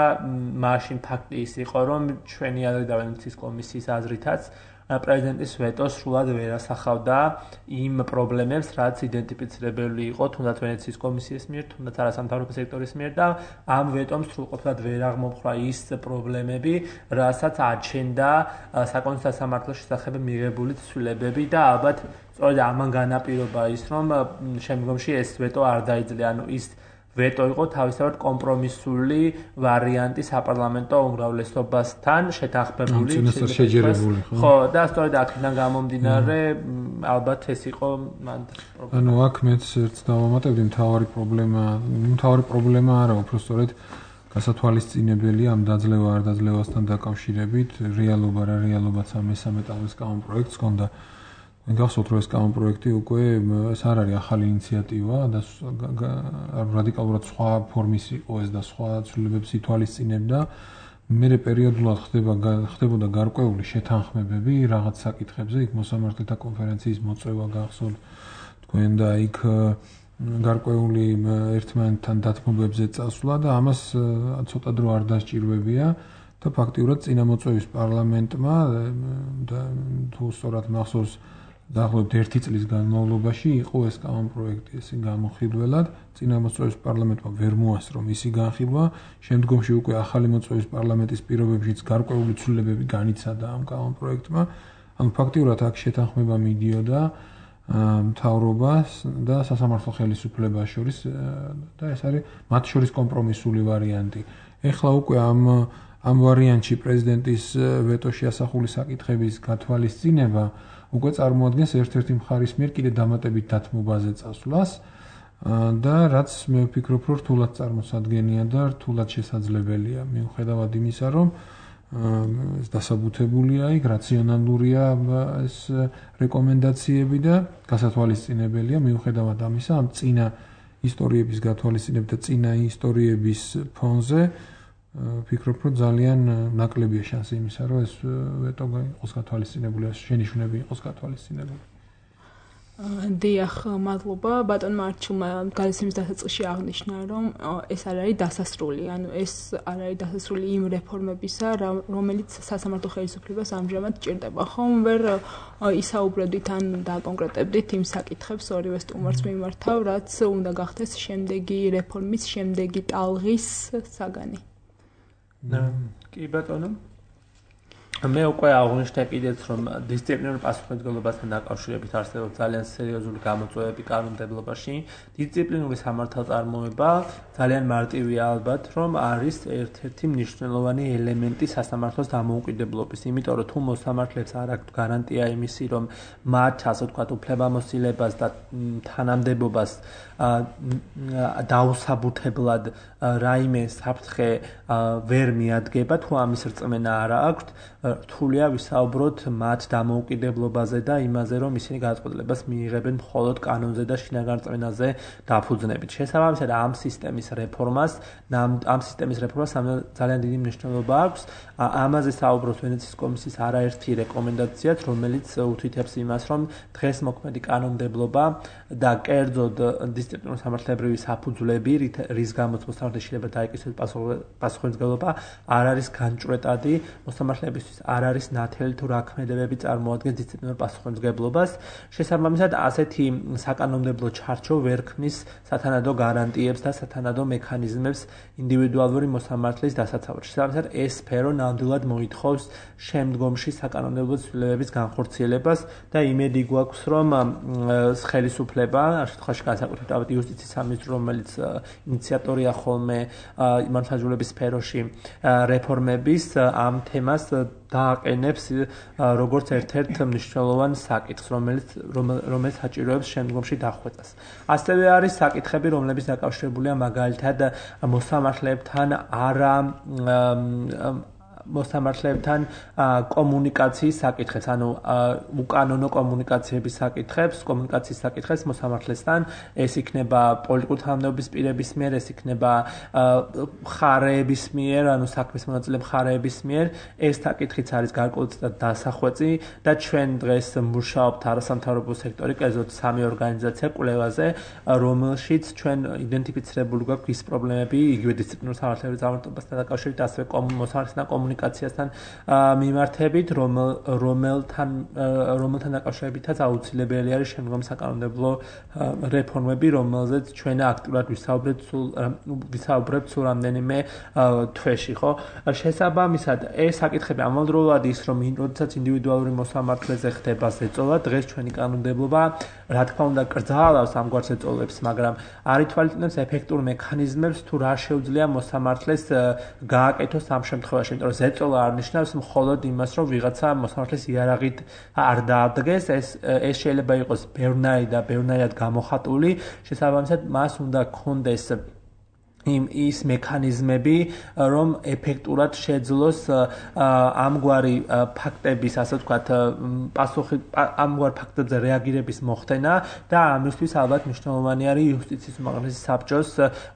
Speaker 1: მაშინ ფაქტი ის იყო, რომ ჩვენი აზრით და ვენეციის კომისიის აზრითაც პრეზიდენტის ვეტო სრულად ვერ ასახავდა იმ პრობლემებს, რაც იდენტიფიცირებელი იყო თუნდაც ვენეციის კომისიის მიერ, თუნდაც არასამთავრობო სექტორის მიერ და ამ ვეტომ სრულყოფილად ვერ აღმოფხვრა ის პრობლემები, რასაც აჩენდა საკონსტიტუციო სასამართლოს შესახებ მიღებული ცვლილებები და ალბათ სწორედ ამან განაპირობა ის, რომ შემდგომში ეს ვეტო არ დაიძლია, ანუ ის ვეტო იყო თავისთავად კომპრომისული ვარიანტი საპარლამენტო უმრავლესობასთან შეთანხმებული,
Speaker 3: შეჯერებული,
Speaker 1: ხო, და სწორედ აქედან გამომდინარე, ალბათ ეს იყო მან პრობლემა.
Speaker 3: ანუ აქ მეც ერთს დავამატებდი, მთავარი პრობლემა არა, უფრო სწორედ გასათვალისწინებელია ამ დაძლევა არ დაძლევასთან დაკავშირებით, რეალობაც ამ მესამე ტალღის კანონპროექტს ჰქონდა. გახსოვთ, რომ ეს კანონპროექტი უკვე ეს არ არის ახალი ინიციატივა და რადიკალურად სხვა ფორმის იყო ეს და სხვა ცვლილებებს ითვალისწინებდა. მერე პერიოდულად ხდებოდა გარკვეული შეთანხმებები რაღაც საკითხებზე, იქ მოსამართლეთა კონფერენციის მოწვევა გახსოვთ თქვენ და იქ გარკვეული ერთმანეთთან დათმობებზე წასვლა და ამას ცოტა დრო არ დასჭირვებია და ფაქტიურად წინამოწვევის პარლამენტმა და თუ სწორად მახსოვს დაახლოებით 1 წლის განმავლობაში იყო ეს კანონპროექტი ესე გამოხილველად, წინა მოწვევის პარლამენტმა ვერ მოასწრო მისი განხილვა, შემდგომში უკვე ახალი მოწვევის პარლამენტის პირობებშიც გარკვეული ცვლილებები განიცადა ამ კანონპროექტმა. ანუ ფაქტიურად აქ შეთანხმება მიდიოდა მთავრობას და სასამართლო ხელისუფლებას შორის და ეს არის მათ შორის კომპრომისული ვარიანტი. ეხლა უკვე ამ ვარიანტში პრეზიდენტის ვეტოში ასახული საკითხების გათვალისწინება უკვე წარმოადგენს ერთ-ერთი მხარის მიერ კიდე დამატებით დათმობაზე წასვლას და რაც მე ვფიქრობ, რომ რთულად წარმოსადგენია და რთულად შესაძლებელია, მიუხედავად იმისა, რომ ეს დასაბუთებულია იქ, რაციონალურია ეს რეკომენდაციები და გასათვალისწინებელია, მიუხედავად ამისა, ამ წინა ისტორიების გათვალისწინებით და წინა ისტორიების ფონზე ვფიქრობ, რომ ძალიან ნაკლებია შანსი იმისა, რომ ეს ვეტო იყოს გათვალისწინებული, შენიშვნები იყოს გათვალისწინებული.
Speaker 2: დიახ, მადლობა. ბატონმა არჩილმა გადაცემის დასაწყისში აღნიშნა, რომ ეს არ არის დასასრული, ანუ ეს არ არის დასასრული იმ რეფორმებისა, რომელიც სასამართლო ხელისუფლებას ამჟამად ჭირდება. ხომ ვერ ისაუბრებდით ან დაკონკრეტებდით იმ საკითხებს ორივე სტუმარს მიმართავ, რაც უნდა გახდეს შემდეგი რეფორმის, შემდეგი ტალღის საგანი.
Speaker 1: კი ბატონო. მე უკვე აღვნიშნე კიდეც, რომ დისციპლინურ პასუხისმგებლობასთან დაკავშირებით არსებობს ძალიან სერიოზული გამოწვევები კანონმდებლობაში. დისციპლინური სამართალწარმოება ძალიან მარტივია ალბათ, რომ არის ერთ-ერთი მნიშვნელოვანი ელემენტი სასამართლოს დამოუკიდებლობის, იმიტომ რომ თუ მოსამართლეებს არ აქვთ გარანტია იმისი, რომ მათ, ასე ვთქვათ, უფლებამოსილებას და თანამდებობას დაუსაბუთებლად რაიმე საფრთხე ვერ მიადგება, თუ ამის რწმენა არ აქვთ, რთულია ვისაუბროთ მათ დამოუკიდებლობაზე და იმაზე, რომ ისინი გადაწყვეტილებას მიიღებენ მხოლოდ კანონზე და შინაგან რწმენაზე დაფუძნებით. შესაბამისად, ამ სისტემის რეფორმას ძალიან დიდი მნიშვნელობა აქვს. ამაზე საუბრობს ვენეციის კომისიის არაერთი რეკომენდაციაც, რომელიც უთვითებს იმას, რომ დღეს მოქმედი კანონმდებლობა და კერძოდ დისციპლინური სამართლებრივი საფუძვლები, რის გამოც მოსამართლეს შეიძლება დაიკისროს პასუხისმგებლობა, არ არის განჭვრეტადი, მოსამართლეებისთვის არ არის ნათელი თუ რა ქმედებები წარმოადგენს დისციპლინურ პასუხისმგებლობას. შესაბამისად, ასეთი საკანონმდებლო ჩარჩო ვერ ქმნის სათანადო გარანტიებს და სათანადო მექანიზმებს ინდივიდუალური მოსამართლის დასაცავად. შესაბამისად, ეს სფერო ნამდვილად მოითხოვს შემდგომში საკანონმდებლო ცვლილებების განხორციელებას და იმედი გვაქვს, რომ ხელისუფლება, ამ შემთხვევაში განსაკუთრებით იუსტიციის სამინისტრო, რომელიც ინიციატორია ხოლმე მართლმსაჯულების სფეროში რეფორმების, ამ თემას დააყენებს როგორც ერთ-ერთ მნიშვნელოვან საკითხს, რომელიც საჭიროებს შემდგომში დახვეწას. ასევე არის საკითხები, რომლებიც დაკავშირებულია მაგალითად მოსამართლეებთან კომუნიკაციის საკითხებს, ანუ უკანონო კომუნიკაციების საკითხებს მოსამართლესთან, ეს იქნება პოლიტიკური თანამდებობის პირების მიერ, ეს იქნება მხარეების მიერ, ანუ საქმის მონაწილე მხარეების მიერ, ეს საკითხიც არის გარკვეულწილად დასახვეწი და ჩვენ დღეს მუშაობთ არასამთავრობო სექტორი, კერძოდ 3 ორგანიზაცია კვლევაზე, რომელშიც ჩვენ იდენტიფიცირებული გვაქვს ის პრობლემები, იგივე დისციპლინურ სამართლებრივ წარმართებასთან დაკავშირებით, ასევე მოსამართლესთან კომუნიკაციასთან მიმართებით, რომელთან დაკავშირებითაც აუცილებელი არის შემდგომ საკანონმდებლო რეფორმები, რომელზეც ჩვენ აქტიურად ვისაუბრებთ სულ რამდენიმე თვეში, ხო? შესაბამისად, ეს საკითხები ამავდროულად ის, რომ როდესაც ინდივიდუალური მოსამართლეზე ხდება ზეწოლა, დღეს ჩვენი კანონმდებლობა, რა თქმა უნდა, კრძალავს ამგვარ ზეწოლებს, მაგრამ არ ითვალისწინებს ეფექტურ მექანიზმებს, თუ რა შეუძლია მოსამართლეს გააკეთოს ამ შემთხვევაში, იმიტომ რომ ზეწოლა არ ნიშნავს მხოლოდ იმას, რომ ვიღაცა მოსამართლეს იარაღით არ დაადგეს, ეს შეიძლება იყოს ბევრნაირად გამოხატული, შესაბამისად, მას უნდა გქონდეს ის მექანიზმები, რომ ეფექტურად შეძლოს ამგვარი ფაქტების, ასე ვთქვათ, ამგვარ ფაქტებზე რეაგირების მოხდენა და ამისთვის ალბათ მნიშვნელოვანი არის იუსტიციის უმაღლესი საბჭოს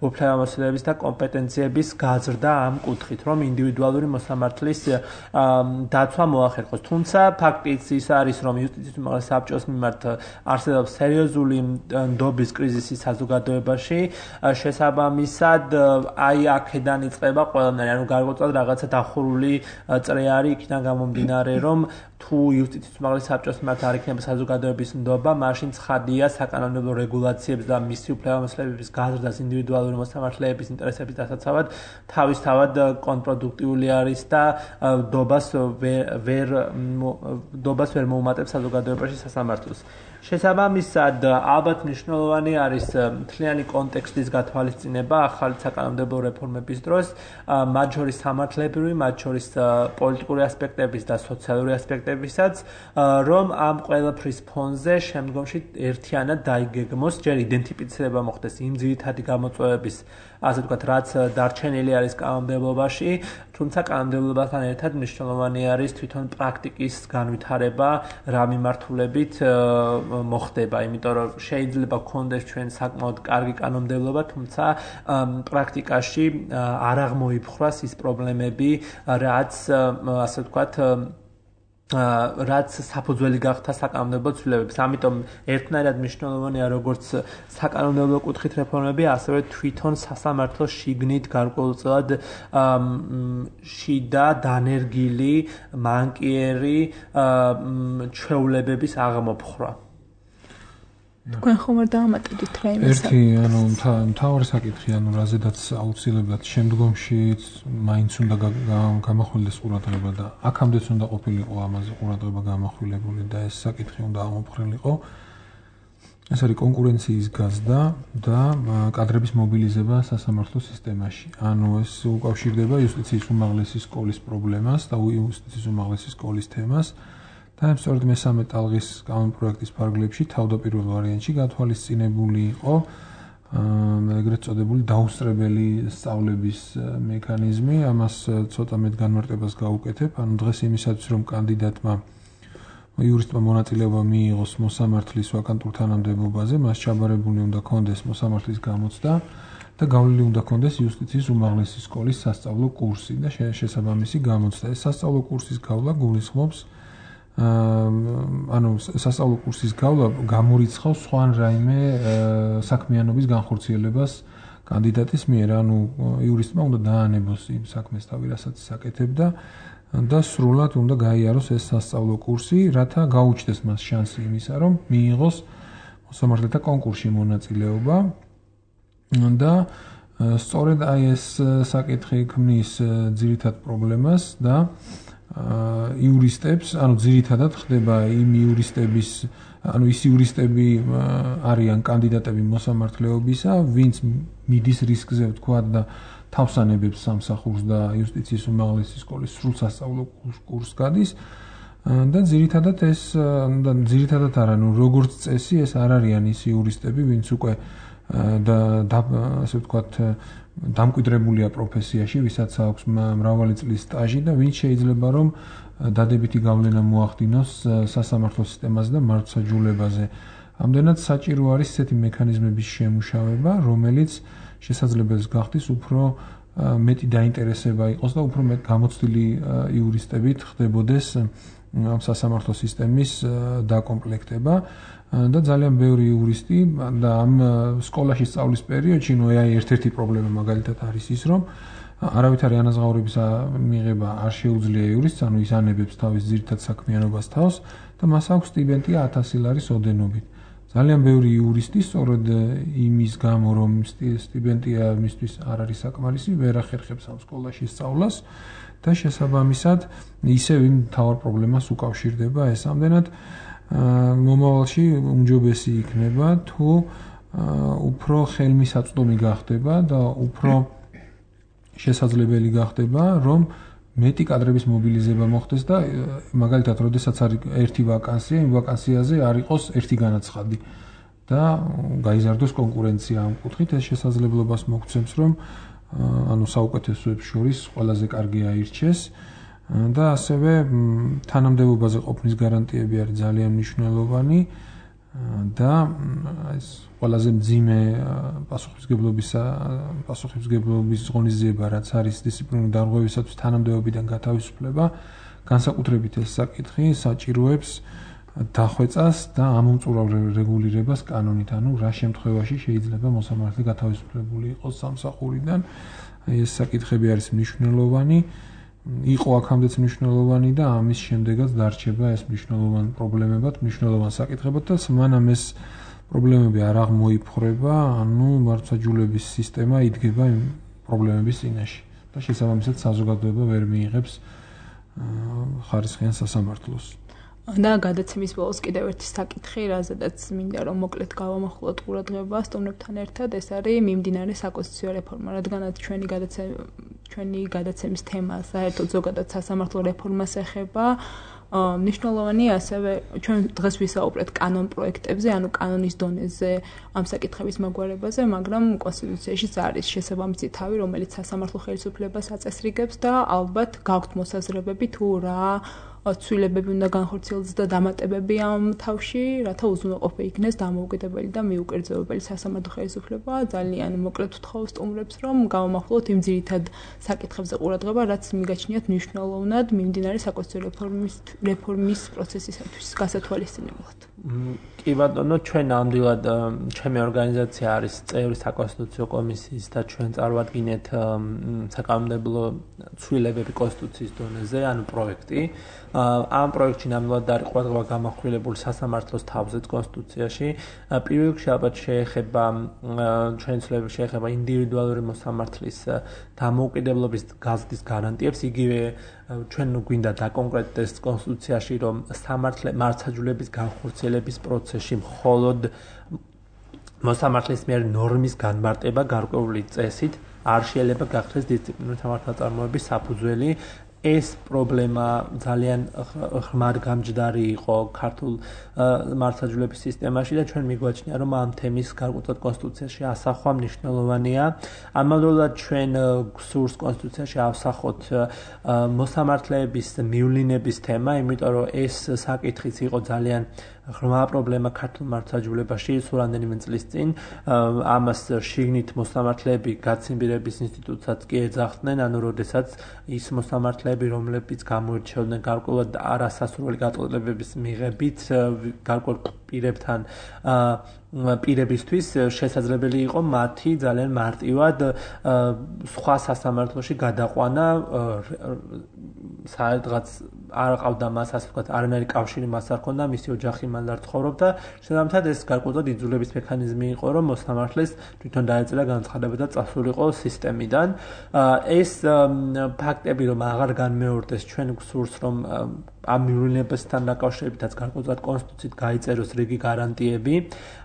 Speaker 1: უფლებამოსილების და კომპეტენციების გაზრდა ამ კუთხით, რომ ინდივიდუალური მოსამართლის დაცვა მოახერხოს. თუმცა ფაქტიც ის არის, რომ იუსტიციის უმაღლესი საბჭოს მიმართ არსებობს სერიოზული ნდობის კრიზისი საზოგადოებაში, შესაბამისად ზუსტად აი აქედან იწყება ყველანაირი, ანუ გარკვეულწილად რაღაცა დახურული წრე არის იქიდან გამომდინარე, რომ თუ იუსტიციის უმაღლეს საბჭოს მიმართ არ იქნება საზოგადოების ნდობა, მაშინ ცხადია საკანონმდებლო რეგულაციებს და მისი უფლებამოსილების გაზრდას ინდივიდუალური მოსამართლეების ინტერესების დასაცავად თავისთავად კონტრპროდუქტიული არის და დობას ვერ მოუმატებს საზოგადოებაში სასამართლოს. შესაბამისად, ალბათ მნიშვნელოვანი არის მთლიანი კონტექსტის გათვალისწინება ახალი საკანონმდებლო რეფორმების დროს, მათ შორის სამართლებრივი, მათ შორის პოლიტიკური ასპექტების და სოციალური ასპექტებისაც, რომ ამ ყველაფრის ფონზე შემდგომში ერთიანად დაიგეგმოს, ჯერ იდენტიფიცირება მოხდეს იმ ძირითადი გამოწვევების, ასე ვთქვათ, რაც დარჩენილი არის კანონმდებლობაში, თუმცა კანონმდებლობასთან ერთად მნიშვნელოვანი არის თვითონ პრაქტიკის განვითარება, რა მიმართულებით მოხდება, იმიტომ რომ შეიძლება გქონდეს ჩვენ საკმაოდ კარგი კანონმდებლობა, თუმცა პრაქტიკაში არ აღმოიფხვრას ის პრობლემები, რაც ასე ვთქვათ რაც საფუძველი გახდა საკანონმდებლო ცვლილებების. ამიტომ ერთნაირად მნიშვნელოვანია როგორც საკანონმდებლო კუთხით რეფორმები, ასევე თვითონ სასამართლოს შიგნით გარკვეულწილად შიდა დანერგილი, მანკიერი ჩვეულებების აღმოფხვრა.
Speaker 2: თქვენ ხომ არ დაამატებთ რაიმეს?
Speaker 3: ერთი, მთავარი საკითხი, რაზედაც აუცილებლად შემდგომში მაინც უნდა გამახვილდეს ყურადღება და აქამდეც უნდა ყოფილიყო ამაზე ყურადღება გამახვილებული და ეს საკითხი უნდა ამოფხრილიყო. ეს არის კონკურენციის გაზრდა და კადრების მობილიზება სასამართლო სისტემაში. ეს უკავშირდება იუსტიციის უმაღლესი სკოლის პრობლემას და იუსტიციის უმაღლესი სკოლის თემას. და სწორედ მესამე ტალღის კანონპროექტის ფარგლებში თავდაპირველ ვარიანტში გათვალისწინებული იყო ეგრეთ წოდებული დაუსწრებელი სწავლების მექანიზმი. ამას ცოტა მეტ განმარტებას გავუკეთებ. დღეს იმისათვის, რომ კანდიდატმა იურისტმა მონაწილეობა მიიღოს მოსამართლის ვაკანტურ თანამდებობაზე, მას ჩაბარებული უნდა ქონდეს მოსამართლის გამოცდა და გავლილი უნდა ქონდეს იუსტიციის უმაღლესი სკოლის სასწავლო კურსი და შესაბამისი გამოცდა. ეს სასწავლო კურსის გავლა გულისხმობს სასწავლო კურსის გავლა გამორიცხავს სხვა რაიმე საქმიანობის განხორციელებას კანდიდატის მიერ, იურისტმა უნდა დაანებოს იმ საქმეს თავი, რასაც აკეთებდა და სრულად უნდა გაიაროს ეს სასწავლო კურსი, რათა გაუჩნდეს მას შანსი იმისა, რომ მიიღოს მოსამართლეთა კონკურსში მონაწილეობა და სწორედ ეს საკითხი ქმნის ძირითად პრობლემას და იურისტებს, ძირითადად ხდება იმ იურისტების, ის იურისტები არიან კანდიდატები მოსამართლეობისა, ვინც მიდის რისკზე ვთქვათ და თავს ანებებს სამსახურს და იუსტიციის უმაღლესი სკოლის სრულ სასწავლო კურსს გადის და ძირითადად არა, როგორც წესი ეს არ არიან ის იურისტები, ვინც უკვე ასე ვთქვათ დამკვიდრებულია პროფესიაში, ვისაც აქვს მრავალი წლის სტაჟი და ვინც შეიძლება რომ დადებითი გავლენა მოახდინოს სასამართლო სისტემაზე და მართლმსაჯულებაზე. ამდენად საჭირო არის ესეთი მექანიზმების შემუშავება, რომელიც შესაძლებელს გახდის უფრო მეტი დაინტერესება იყოს და უფრო მეტ გამოცდილი იურისტებით ხდებოდეს ამ სასამართლო სისტემის დაკომპლექტება. და ძალიან ბევრი იურისტი და ამ სკოლაში სწავლის პერიოდში ერთ-ერთი პრობლემა მაგალითად არის ის, რომ არავითარი ანაზღაურების მიღება არ შეუძლია იურისტს, ის ანებებს თავის ძირითად საქმიანობას თავს და მას აქვს სტიპენდია 1000 ლარის ოდენობით. ძალიან ბევრი იურისტი სწორედ იმის გამო, რომ სტიპენდია მისთვის არ არის საკმარისი, ვერ ახერხებს ამ სკოლაში სწავლას და შესაბამისად ისევ იმ მთავარ პრობლემას უკავშირდება ეს. ამდენად მომავალში უმჯობესი იქნება თუ უფრო ხელმისაწვდომი გახდება და უფრო შესაძლებელი გახდება რომ მეტი კადრების მობილიზება მოხდეს და მაგალითად როდესაც არის ერთი ვაკანსია, იმ ვაკანსიაზე არ იყოს ერთი განაცხადი და გაიზარდოს კონკურენცია ამ კუთხით. ეს შესაძლებლობას მოგცემს რომ საუკეთესოებს შორის ყველაზე კარგი აირჩეს და ასევე თანამდებობაზე ყოფნის გარანტიები არის ძალიან მნიშვნელოვანი და ეს ყველაზე მძიმე პასუხისმგებლობის ღონისძიება, რაც არის დისციპლინური დარღვევისათვის თანამდებობიდან გათავისუფლება, განსაკუთრებით ეს საკითხი საჭიროებს დახვეწას და ამომწურავ რეგულირებას კანონით, ანუ რა შემთხვევაში შეიძლება მოსამართლე გათავისუფლებული იყოს სამსახურიდან. ეს საკითხები არის მნიშვნელოვანი, იყო აქამდეც მნიშვნელოვანი და ამის შემდეგაც დარჩება ეს მნიშვნელოვანი პრობლემებად, მნიშვნელოვანი საკითხებად და მანამ ეს პრობლემები არ აღმოიფხვრება, ანუ მართლმსაჯულების სისტემა იდგება იმ პრობლემების წინაშე და შესაბამისად საზოგადოება ვერ მიიღებს ხარისხიან სასამართლოს.
Speaker 2: და გადაცემის ბოლოს კიდევ ერთი საკითხი, რაზედაც მინდა რომ მოკლედ გავამახვილოთ ყურადღება სტუმრებთან ერთად, ეს არის მიმდინარე საკონსტიტუციო რეფორმა, რადგანაც ჩვენი გადაცემის თემა საერთოდ ზოგადად სასამართლო რეფორმას ეხება. მნიშვნელოვანია ასევე ჩვენ დღეს ვისაუბრეთ კანონ პროექტებზე, ანუ კანონის დონეზე ამ საკითხების მაგვარებაზე, მაგრამ კონსტიტუციაშიც არის შესაბამისი თავი, რომელიც სასამართლო ხელისუფლებას აწესრიგებს და ალბათ გაქვთ მოსაზრებები თუ რა ცვლილებები უნდა განხორციელდეს და დამატებები ამ თავში, რათა უზრუნველყოფა იქნეს დამოუკიდებელი და მიუკერძოებელი სასამართლო ხელისუფლება. ძალიან მოკლედ ვთხოვ სტუმრებს, რომ გავამახვილოთ იმ ძირითად საკითხებზე ყურადღება, რაც მიგაჩნიათ მნიშვნელოვნად მიმდინარე საკონსტიტუციო რეფორმის პროცესისათვის გასათვალისწინებლად.
Speaker 1: კი ბატონო, ჩვენ ნამდვილად ჩემი ორგანიზაცია არის წევრი საკონსტიტუციო კომისიის და ჩვენ წარვადგინეთ საკანონმდებლო ცვლილებები კონსტიტუციის დონეზე, ანუ პროექტი. ამ პროექტში ნამდვილად არის ყურადღება გამახვილებული სასამართლოს თავზეც კონსტიტუციაში. პირველ რიგში ალბათ შეეხება ჩვენი ცვლილებები შეეხება ინდივიდუალური მოსამართლის დამოუკიდებლობის გაზრდის გარანტიებს, იგივე ჩვენ გვინდა დაკონკრეტდეს კონსტიტუციაში, რომ მართლმსაჯულების განხორციელების პროცესში მხოლოდ მოსამართლის მიერ ნორმის განმარტება გარკვეული წესით არ შეიძლება გახდეს დისციპლინური სამართალწარმოების საფუძველი. ეს პრობლემა ძალიან ღრმად გამჯდარი იყო ქართულ მართლმსაჯულების სისტემაში და ჩვენ მიგვაჩნია, რომ ამ თემის გარკვეულად კონსტიტუციაში ასახვა მნიშვნელოვანია. ამავდროულად ჩვენ გსურს კონსტიტუციაში ავსახოთ მოსამართლეების მივლინების თემა, იმიტომ რომ ეს საკითხიც იყო ძალიან ღრმა პრობლემა ქართულ მართლმსაჯულებაში სულ რამდენიმე წლის წინ. ამას შიგნით მოსამართლეები გაცინბირების ინსტიტუტსაც კი ეძახდნენ, ანუ როდესაც ის მოსამართლეები, რომლებიც გამოირჩეოდნენ გარკვეულად არასასურველი გაწყვეტილებების მიღებით, გარკვეულ პირებთან პირებისთვის შესაძლებელი იყო მათი ძალიან მარტივად სხვა სასამართლოში გადაყვანა, სადღაც არ ყავდა მას, ასე ვთქვათ, არანაირი კავშირი მას არ ჰქონდა, მისი ოჯახი მან არ ცხოვრობდა. შესაბამისად, ეს გარკვეულად იძულების მექანიზმი იყო, რომ მოსამართლეს თვითონ დაეწერა განცხადება და წასულიყო სისტემიდან. ეს ფაქტები, რომ აღარ განმეორდეს, ჩვენ გვსურს, რომ ამ მივლინებასთან დაკავშირებითაც გარკვეულად კონსტიტუციით გაიწეროს რიგი გარანტიები.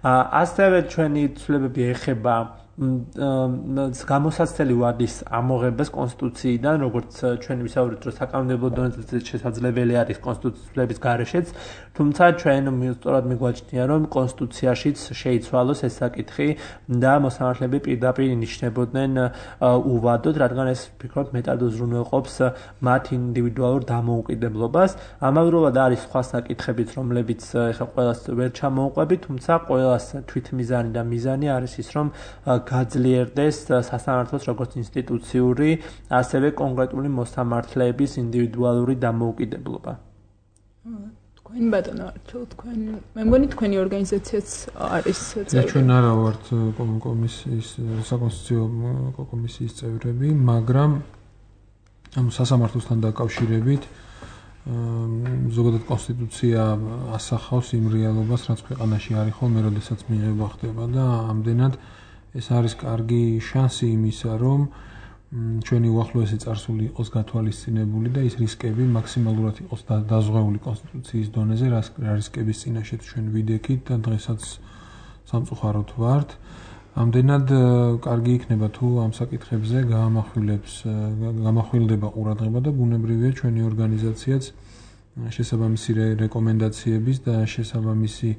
Speaker 1: ასევე ჩვენი ცვლილებები ეხება გამოსაცდელი ვადის ამოღებას კონსტიტუციიდან, როგორც ჩვენ ვისაუბრეთ, რომ საკანონმდებლო დონეზე შესაძლებელი არის კონსტიტუციების გარეშეც, თუმცა ჩვენ სწორად მიგვაჩნია, რომ კონსტიტუციაშიც შეიცვალოს ეს საკითხი და მოსამართლეები პირდაპირ ინიშნებოდნენ უვადოდ, რადგან ეს ვფიქრობ მეტად უზრუნველყოფს მათ ინდივიდუალურ დამოუკიდებლობას. ამავდროულად არის სხვა საკითხებიც, რომლებიც ეხლა ყველას ვერ ჩამოუყვებით, თუმცა ყველას თვითმიზანი და მიზანი არის ის, რომ გაძლიერდეს სასამართლოს როგორც ინსტიტუციური, ასევე კონკრეტული მოსამართლეების ინდივიდუალური დამოუკიდებლობა.
Speaker 2: თქვენ ბატონო, თქვენ მე მგონი თქვენი ორგანიზაციაც არის
Speaker 3: წევრი. ჩვენ არა ვართ კომისიის საკონსტიტუციო კომისიის წევრები, მაგრამ ამ სასამართლოსთან დაკავშირებით ზოგადად კონსტიტუცია ასახავს იმ რეალობას, რაც ქვეყანაში არის ხოლმე, როდესაც მიღება ხდება და ამდენად ეს არის კარგი შანსი იმისა, რომ ჩვენი უახლოესი წარსული იყოს გათვალისწინებული და ის რისკები მაქსიმალურად იყოს დაზღვეული კონსტიტუციის დონეზე, რა რისკების წინაშე ჩვენ ვიდექით და დღესაც სამწუხაროდ ვართ. ამდენად კარგი იქნება თუ ამ საკითხებზე გამახვილდება ყურადღება და ბუნებრივია ჩვენი ორგანიზაციაც შესაბამისი რეკომენდაციების და შესაბამისი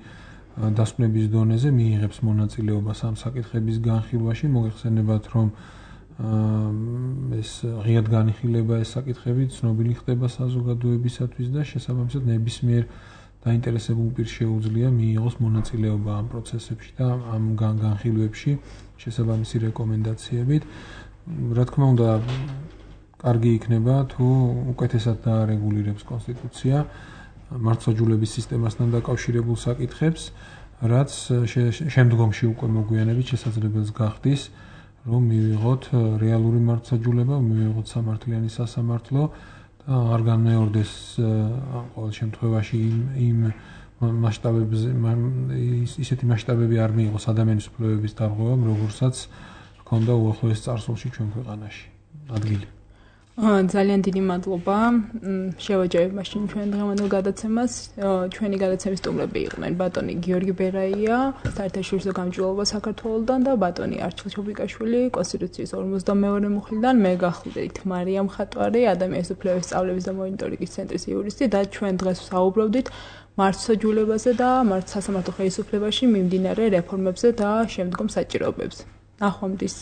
Speaker 3: დასკვნების დონეზე მიიღებს მონაწილეობას ამ საკითხების განხილვაში. მოგეხსენებათ, რომ ეს ღიად განიხილება ეს საკითხები ცნობილი ხდება საზოგადოებისათვის და შესაბამისად ნებისმიერ დაინტერესებულ პირს შეუძლია მიიღოს მონაწილეობა ამ პროცესებში და ამ განხილვებში შესაბამისი რეკომენდაციებით. რა თქმა უნდა, კარგი იქნება თუ უკეთესად დაარეგულირებს კონსტიტუცია მართლმსაჯულების სისტემასთან დაკავშირებულ საკითხებს, რაც შემდგომში უკვე მოგვიანებით შესაძლებელს გახდის, რომ მივიღოთ რეალური მართლმსაჯულება, მივიღოთ სამართლიანი სასამართლო და არ განმეორდეს ყოველ შემთხვევაში იმ მასშტაბებზე ისეთი მასშტაბები არ მიიღოს ადამიანის უფლებების დარღვევამ, როგორცაც ჰქონდა უახლოეს წარსულში ჩვენ ქვეყანაში ადგილი.
Speaker 2: ძალიან დიდი მადლობა. შევაჯერებ მაშინ ჩვენ დღევანდელ გადაცემას. ჩვენი გადაცემის სტუმრები იყვნენ ბატონი გიორგი ბერაია, საერთაშორისო გამჭვირვალობა საქართველოსდან და ბატონი არჩილ ჩობიკაშვილი, კონსტიტუციის 52 მუხლიდან. მე გახლდით მარიამ ხატვარი, ადამიანის უფლებების სწავლების და მონიტორინგის ცენტრის იურისტი და ჩვენ დღეს ვსაუბრობდით მართლმსაჯულებაზე და სასამართლო ხელისუფლებაში მიმდინარე რეფორმებზე და შემდგომ საჭიროებებზე. ნახვამდის.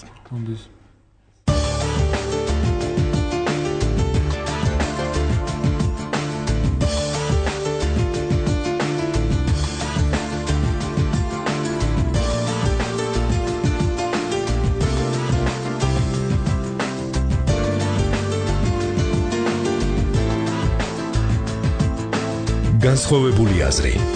Speaker 4: განსხვავებული აზრი